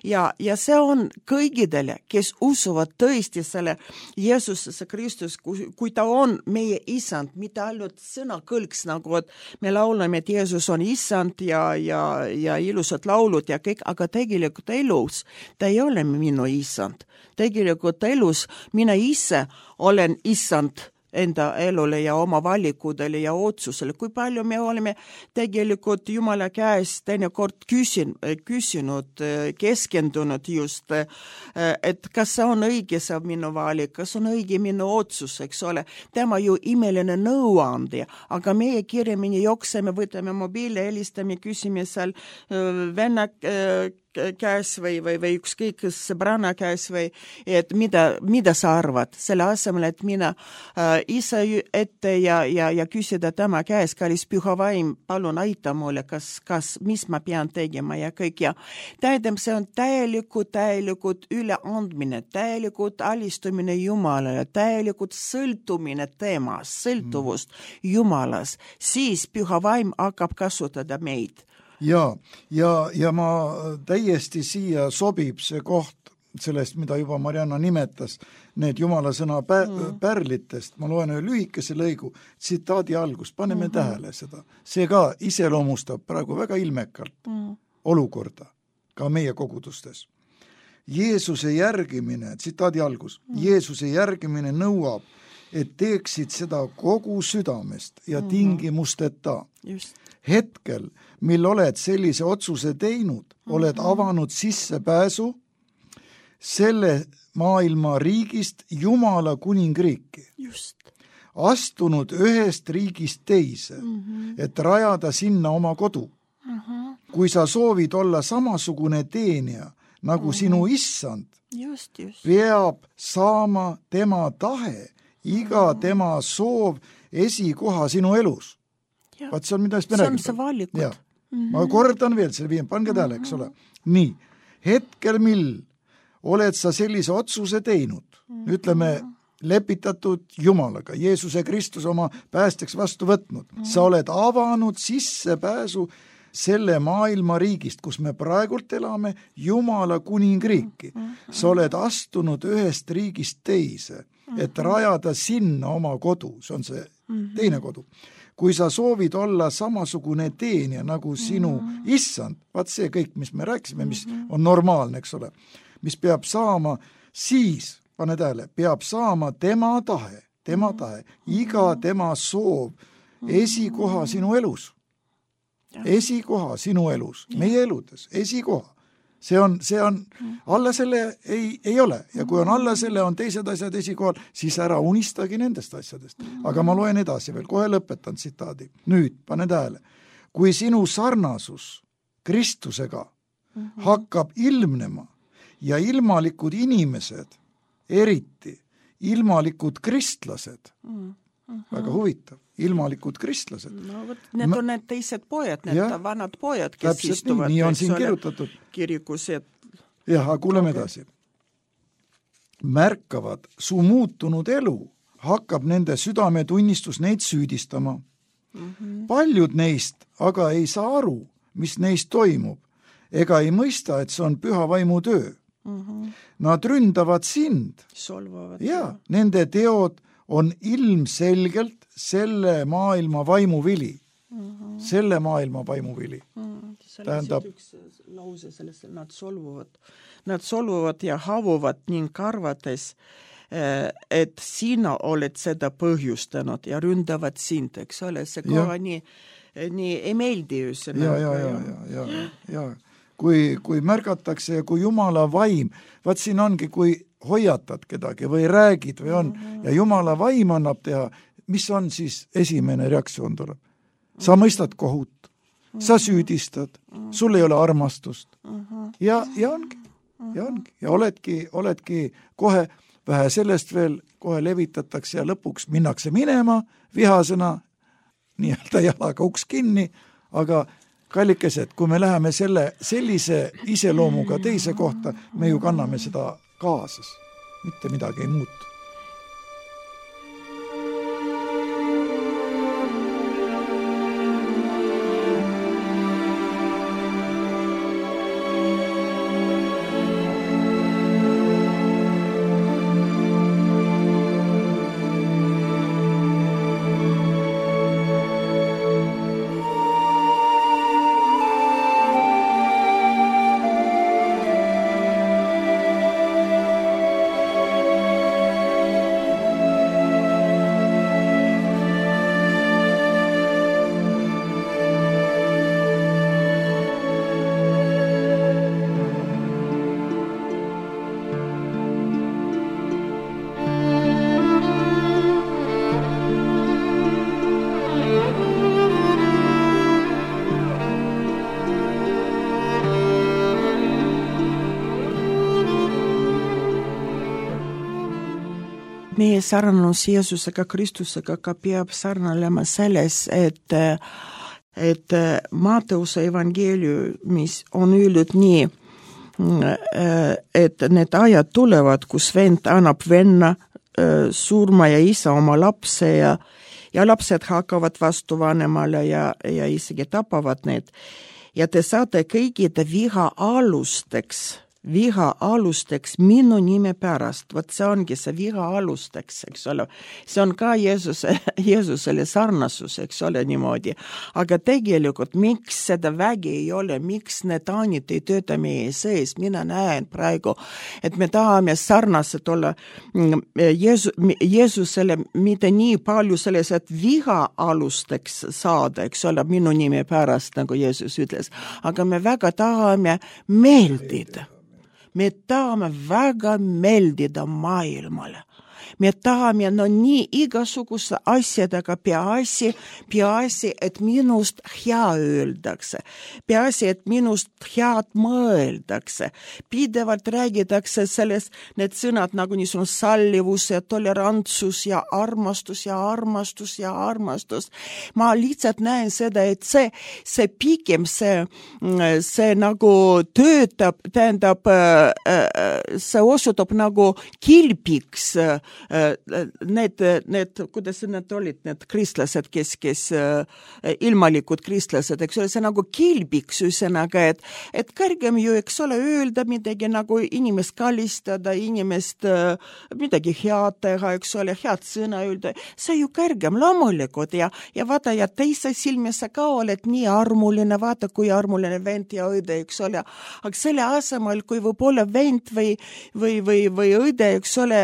Ja, ja see on kõigidele, kes usuvad tõesti selle Jeesusesse Kristus, kui, kui ta on meie isand, mitte ainult sõna kõlks nagu, et me laulame, et Jeesus on isand ja, ja, ja ilusad laulud ja kõik, aga tegelikult elus ta ei ole minu isand. Tegelikult elus mina ise olen isand enda elule ja oma valikudele ja otsusele. Kui palju me oleme tegelikult Jumala käest teinekord küsin, küsinud, keskendunud just, et kas see on õige see minu valik, kas on õige minu otsus, eks ole. Tema ju imeline nõuandja, aga meie kirjamini jookseme, võtame mobiili, helistame, küsime seal venna käes või, või, või ükskõik sõbrana käes või, et mida, mida sa arvad, selle asemel, et mina äh, ise ette ja, ja, ja küsida tema käes, kallis püha vaim, palun aita mulle, kas, kas, mis ma pean tegema ja kõik ja tähendab, see on täielikult, täielikult üleandmine, täielikult alistumine Jumalale, täielikult sõltumine temas, sõltuvust mm. Jumalas, siis püha vaim hakkab kasutada meid. Ja, ja, ja ma täiesti siia sobib see koht sellest, mida juba Marianna nimetas, need Jumala sõna pä- mm. pärlitest. Ma loen ühe lühikese lõigu, tsitaadi algust, paneme mm-hmm. tähele seda. See ka iseloomustab praegu väga ilmekalt mm. olukorda ka meie kogudustes. Jeesuse järgimine, tsitaadi algus, mm. Jeesuse järgimine nõuab, et teeksid seda kogu südamest ja mm-hmm. tingimusteta. Just. Hetkel, mil oled sellise otsuse teinud, mm-hmm. oled avanud sissepääsu selle maailma riigist Jumala kuningriiki. Just. Astunud ühest riigist teise, mm-hmm. et rajada sinna oma kodu. Mm-hmm. Kui sa soovid olla samasugune teenija, nagu mm-hmm. sinu issand, just, just. peab saama tema tahe, iga mm-hmm. tema soov esikoha sinu elus. Vaat see on mida me räägime. See on see valikud. Mm-hmm. Ma kordan veel selle viim, pange tähele, eks ole. Nii, hetkel mil oled sa sellise otsuse teinud, mm-hmm. ütleme, lepitatud Jumalaga, Jeesuse Kristus oma päästeks vastu võtnud, mm-hmm. sa oled avanud sissepääsu selle maailma riigist, kus me praegult elame, Jumala kuningriiki. Mm-hmm. Sa oled astunud ühest riigist teise, et rajada sinna oma kodu, see on see mm-hmm. teine kodu. kui sa soovid olla samasugune teenija nagu sinu mm-hmm. issand, vaat see kõik, mis me rääkisime, mis mm-hmm. on normaalne, eks ole, mis peab saama, siis, pane tähele, peab saama tema tahe, tema tahe, iga tema soov, esikoha sinu elus. Esikoha sinu elus, meie eludes, esikoha. See on, see on, alla selle ei, ei ole ja kui on alla selle, on teised asjad esikohal, siis ära unistagi nendest asjadest. Aga ma loen edasi veel, kohe lõpetan tsitaadi. Nüüd, pane tähele, kui sinu sarnasus Kristusega hakkab ilmnema ja ilmalikud inimesed, eriti ilmalikud kristlased, väga huvitav, ilmalikud kristlased. No, võt, need on need teised pojad, need ja, vanad pojad, kes istuvad nii, nii on siin kirjutatud. Kirikus. Et... jah, kuuleme okay. edasi. Märkavad su muutunud elu, hakkab nende südametunnistus neid süüdistama. Mm-hmm. Paljud neist aga ei saa aru, mis neist toimub, ega ei mõista, et see on püha vaimu töö. Mm-hmm. Nad ründavad sind. Solvavad. Ja, nende teod on ilmselgelt selle maailma vaimuvili. Mm-hmm. Selle maailma vaimuvili. Mm-hmm. Tähendab... üks lause sellest, nad solvuvad. Nad solvuvad ja havuvad ning arvates, et sina oled seda põhjustanud ja ründavad sind, eks ole, see koha nii, nii ei meeldi ju. Ja, ja, ja, ja, ja, ja. Kui, kui märgatakse ja kui Jumala vaim, vaat siin ongi, kui hoiatad kedagi või räägid või on mm-hmm. ja Jumala vaim annab teha, mis on siis esimene reaktsioon tuleb? Sa mõistad kohut, mm-hmm. sa süüdistad, mm-hmm. sul ei ole armastust mm-hmm. ja, ja ongi, ja ongi ja oledki, oledki kohe vähe sellest veel, kohe levitatakse ja lõpuks minnakse minema vihasena, nii-öelda jalaga uks kinni, aga kallikesed, kui me läheme selle, sellise iseloomuga teise kohta, me ju kanname seda kaasas, mitte midagi ei muutu. Meie sarnanus Jeesusega, Kristusega ka peab sarnalema selles, et, et Matteuse evangeeliumis on öeldud nii, et need ajad tulevad, kus vend annab venna surma ja isa oma lapse ja, ja lapsed hakkavad vastu vanemale ja, ja isegi tapavad need. Ja te saate kõigide viha alusteks, viha alusteks minu nime pärast, vot see ongi see viha alusteks, eks ole. See on ka Jeesuse, Jeesusele sarnasus, eks ole niimoodi. Aga tegelikult, miks seda vägi ei ole, miks need aanid ei tööta meie sees, mina näen praegu, et me tahame sarnased olla Jeesu, Jeesusele mitte nii palju selles, et viha alusteks saada, eks ole, minu nime pärast, nagu Jeesus ütles. Aga me väga tahame meeldida. Me tahame väga meeldida maailmale. Me tahame no nii igasuguse asjadega peaasi, peaasi, et minust hea öeldakse. Peaasi, et minust head mõeldakse. Pidevalt räägitakse selles, need sõnad nagu niisugune sallivus ja tolerantsus ja armastus ja armastus ja armastus. Ma lihtsalt näen seda, et see, see pigem see, see nagu töötab, tähendab, see osutub nagu kilpiks need, need, kuidas need olid, need kristlased, kes, kes ilmalikud kristlased, eks ole, see nagu kilbiks üsõnaga, et, et kõrgem ju, eks ole, öelda midagi nagu inimest kallistada, inimest midagi head teha, eks ole, head sõna öelda, see ju kõrgem loomulikult ja, ja vaata, ja teise silmis sa ka oled nii armuline, vaata, kui armuline vend ja õde, eks ole, aga selle asemel, kui võib-olla vend või, või, või, või õde, eks ole,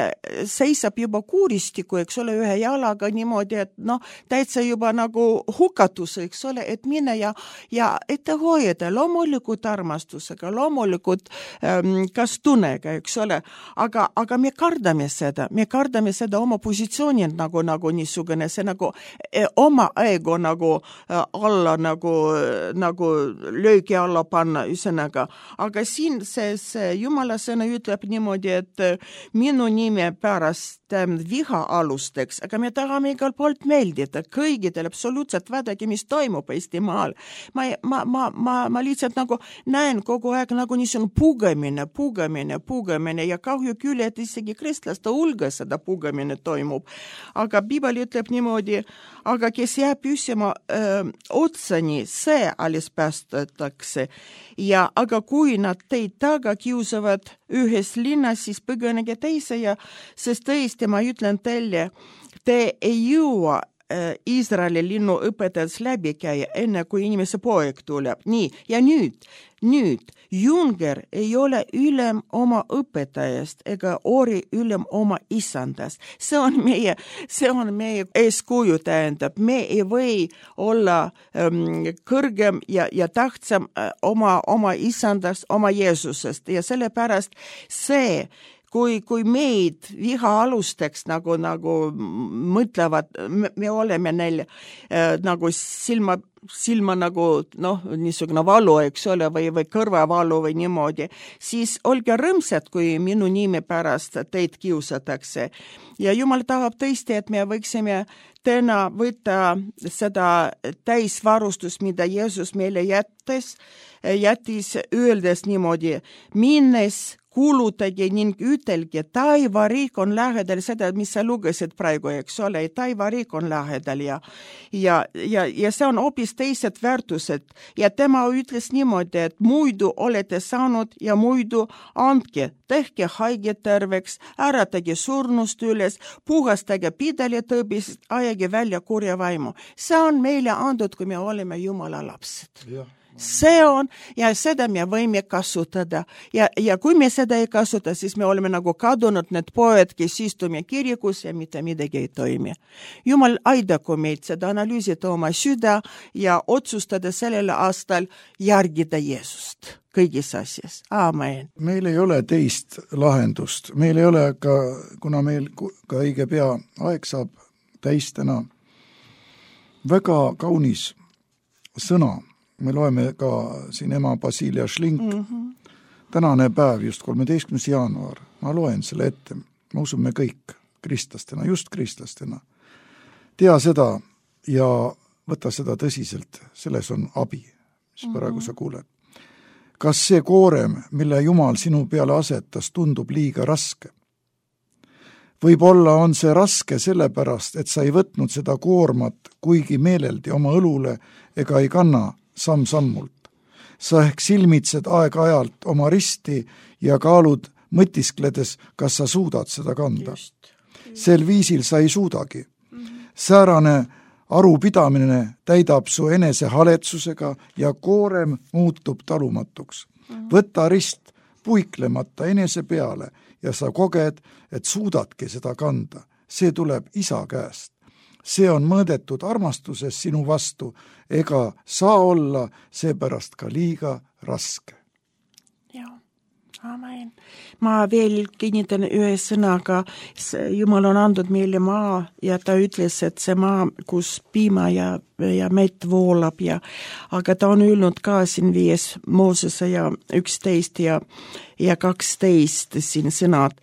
seisab juba kuuristiku, eks ole, ühe jalaga niimoodi, et noh, täitsa juba nagu hukatus, eks ole, et mine ja, ja ette hoida loomulikult armastusega, loomulikult ähm, kas tunnega, eks ole, aga, aga me kardame seda, me kardame seda oma positsiooni nagu, nagu niisugune, see nagu eh, oma ego nagu äh, alla, nagu, nagu löögi alla panna, üsõnaga. Aga siin see, see Jumala sõna ütleb niimoodi, et minu nime pärast viha alusteks, aga me tahame igal poolt meeldida kõigidel absoluutselt vaadake, mis toimub Eestimaal. Ma, ma, ma, ma, ma lihtsalt nagu näen kogu aeg nagu niisugune pugemine, pugemine, pugemine ja kahju küll, et isegi kristlaste hulgas seda pugemine toimub. Aga Piibel ütleb niimoodi, aga kes jääb püsima öö, otsani, see alles päästetakse. Ja aga kui nad teid taga kiusavad ühes linnas, siis põgenege teise ja sest tõesti ma ütlen teile, te ei jõua Iisraeli linnu õpetajaks läbi käia, enne kui inimese poeg tuleb. Nii, ja nüüd, nüüd, junger ei ole ülem oma õpetajast ega ori ülem oma isandast. See on meie, see on meie eeskuju tähendab. Me ei või olla ähm, kõrgem ja, ja tähtsam äh, oma, oma isandast, oma Jeesusest ja sellepärast see Kui, kui meid viha alusteks nagu, nagu mõtlevad, me, me oleme neil äh, nagu silma, silma nagu, noh, niisugune valu, eks ole, või, või kõrvavalu või niimoodi, siis olge rõõmsad, kui minu nime pärast teid kiusatakse. Ja Jumal tahab tõesti, et me võiksime täna võtta seda täisvarustust, mida Jeesus meile jättes, jättis öeldes niimoodi, minnes kuulutage ning ütelge, taivariik on lähedal, seda, mis sa lugesid praegu, eks ole, taivariik on lähedal ja, ja, ja, ja see on hoopis teised väärtused. Ja tema ütles niimoodi, et muidu olete saanud ja muidu andke, tehke haige terveks, äratage surnust üles, puhastage pidali tõbist, ajage välja kurja vaimu. See on meile andud, kui me oleme Jumala lapsed. Ja. See on, ja seda me võime kasutada. Ja, ja kui me seda ei kasuta, siis me oleme nagu kadunud need poed, kes istume kirikus ja mitte midagi ei toimi. Jumal aidaku meid seda analüüsida oma süda ja otsustada sellel aastal järgida Jeesust kõigis asjas. Aamen. Meil ei ole teist lahendust. Meil ei ole ka, kuna meil ka õige pea aeg saab täis täna, väga kaunis sõna. Me loeme ka siin ema Basilia Šlink. Mm-hmm. Tänane päev, just kolmeteistkümnes jaanuar. Ma loen selle ette. Ma usun me kõik kristlastena, just kristlastena. Tea seda ja võta seda tõsiselt. Selles on abi, mis praegu mm-hmm. sa kuuled. Kas see koorem, mille Jumal sinu peale asetas, tundub liiga raske? Võib-olla on see raske sellepärast, et sa ei võtnud seda koormat kuigi meeleldi oma õlule ega ei kanna samm-sammult. Sa ehk silmitsed aeg-ajalt oma risti ja kaalud mõtiskledes, kas sa suudad seda kanda. Just. Sel viisil sa ei suudagi. Mm-hmm. Säärane arupidamine täidab su enese haletsusega ja koorem muutub talumatuks. Mm-hmm. Võta rist puiklemata enese peale ja sa koged, et suudadki seda kanda. See tuleb isa käest. See on mõõdetud armastuses sinu vastu, ega saa olla seepärast ka liiga raske. Joo, amen. Ma veel kinnitan ühe sõnaga, Jumal on andnud meile maa ja ta ütles, et see maa, kus piima ja, ja mett voolab ja, aga ta on öelnud ka siin viies Moosese ja üksteist ja, ja kaksteist siin sõnad,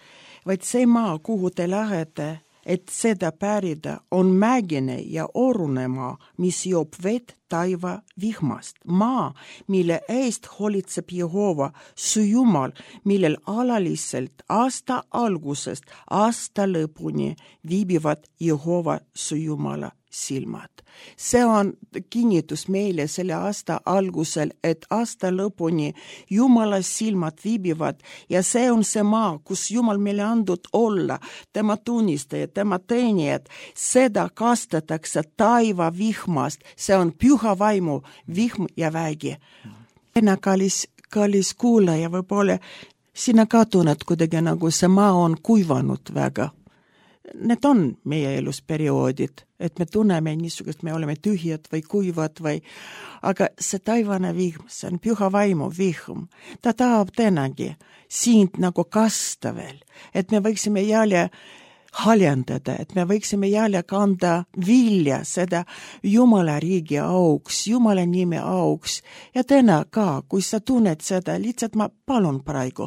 vaid see maa, kuhu te lähete, et seda pärida, on mägine ja orune maa, mis joob vett taiva vihmast. Maa, mille eest hoolitseb Jehova, su Jumal, millel alaliselt aasta algusest aasta lõpuni viibivad Jehova su Jumala silmad. See on kinnitus meile selle aasta algusel, et aasta lõpuni Jumala silmad viibivad ja see on see maa, kus Jumal meile andnud olla, tema tunnistajad, tema teenijad, seda kastetakse taiva vihmast, see on püha vaimu vihm ja vägi. Ena kallis, kallis kuulaja, võib-olla sina ka tunned kuidagi nagu see maa on kuivanud väga. Need on meie elus perioodid, et me tunneme niisugust, me oleme tühjad või kuivad või, aga see taivane vihm, see on püha vaimu vihm. Ta tahab tänagi sind nagu kasta veel, et me võiksime jälle haljendada, et me võiksime jälle kanda vilja seda Jumala riigi auks, Jumala nime auks. Ja täna ka, kui sa tunned seda, lihtsalt ma palun praegu,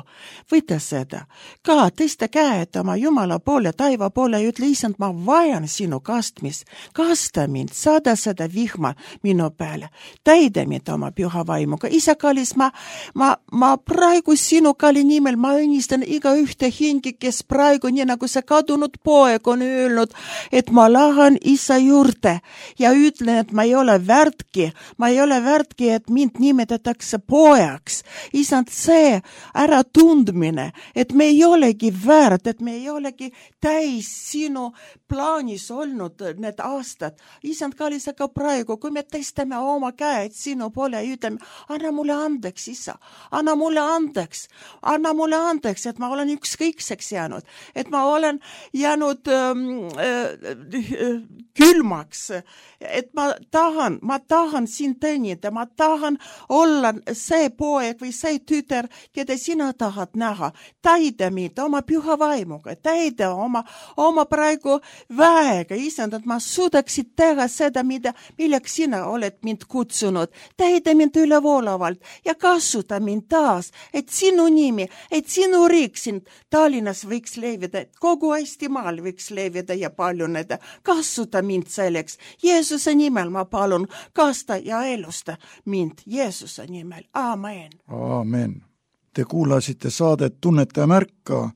võta seda. Ka tõsta käed oma Jumala poole, taiva poole ja ütle, isand, ma vajan sinu kastmist. Kasta mind, saada seda vihma minu peale. Täida mind oma püha vaimuga. Isa kallis, ma, ma, ma praegu sinu kalli nimel, ma õnnistan iga ühte hingi, kes praegu, nii nagu see kadunud poeg on öelnud, et ma lähen isa juurde ja ütlen, et ma ei ole väärtki, ma ei ole väärtki, et mind nimetatakse poeks. Isand, see ära tundmine, et me ei olegi väärt, et me ei olegi täis sinu plaanis olnud need aastad. Isand kallis, aga praegu, kui me tõstame oma käed sinu poole ja ütleme, anna mulle andeks, isa, anna mulle andeks, anna mulle andeks, et ma olen ükskõikseks jäänud, et ma olen jäänud ähm, äh, külmaks, et ma tahan, ma tahan sind teenida, ma tahan olla see poeg või see tüter, keda sina tahad näha. Täida mind oma püha vaimuga, täida oma, oma praegu väega, isand, et ma suudaksid teha seda, mida, milleks sina oled mind kutsunud. Täida mind ülevoolavalt ja kasuta mind taas, et sinu nimi, et sinu riik siin Tallinnas võiks levida, et kogu Eestimaal võiks levida ja paljuneda. Kasuta mind selleks. Jeesuse nimel ma palun, kasta ja elusta mind Jeesuse nimel. Aamen. Aamen. Te kuulasite saadet Tunneta ja märka.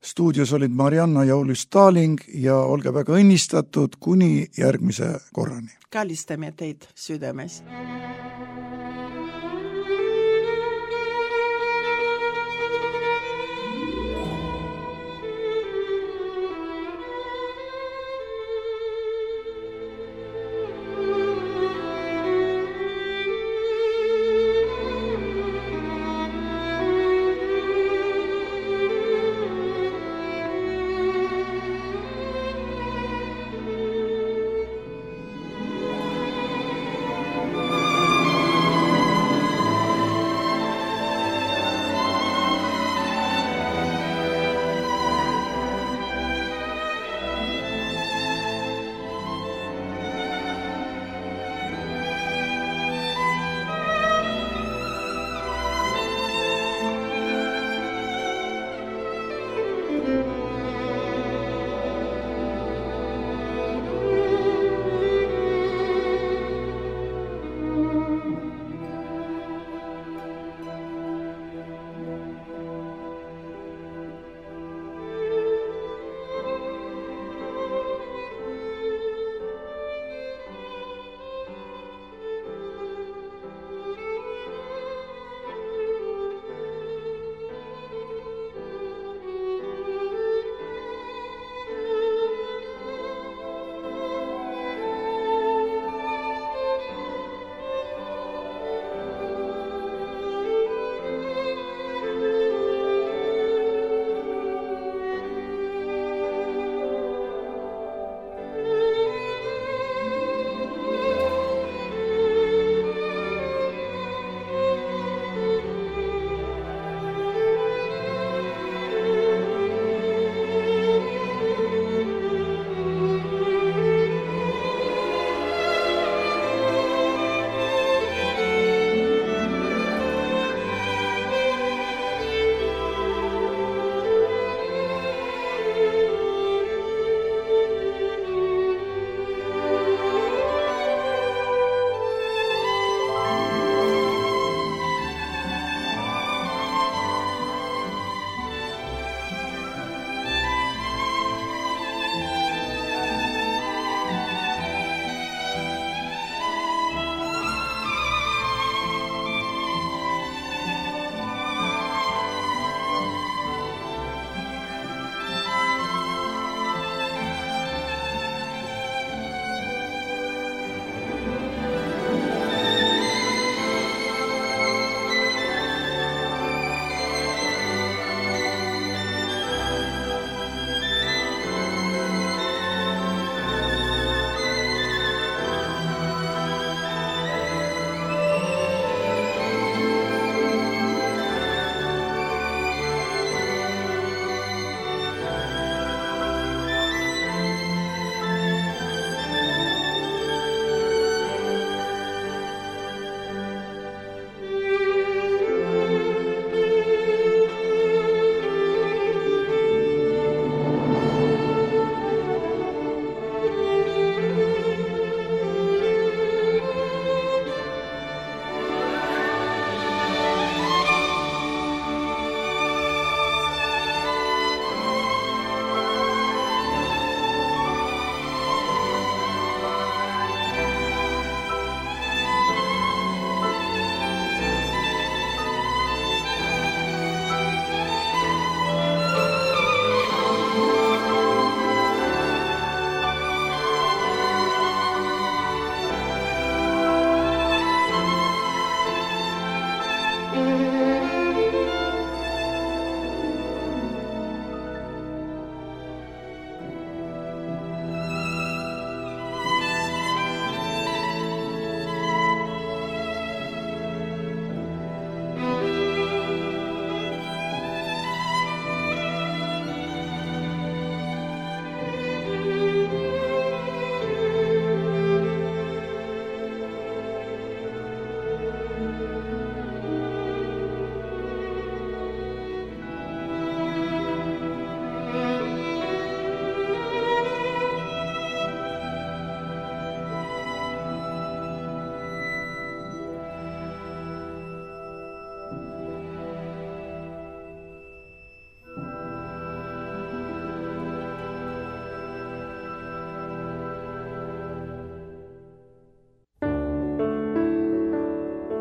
Stuudios olid Marianna ja Ulis Staling ja olge väga õnnistatud kuni järgmise korrani. Kallistame teid südames.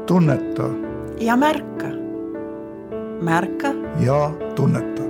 tunneta ja märka. Märka ja tunneta.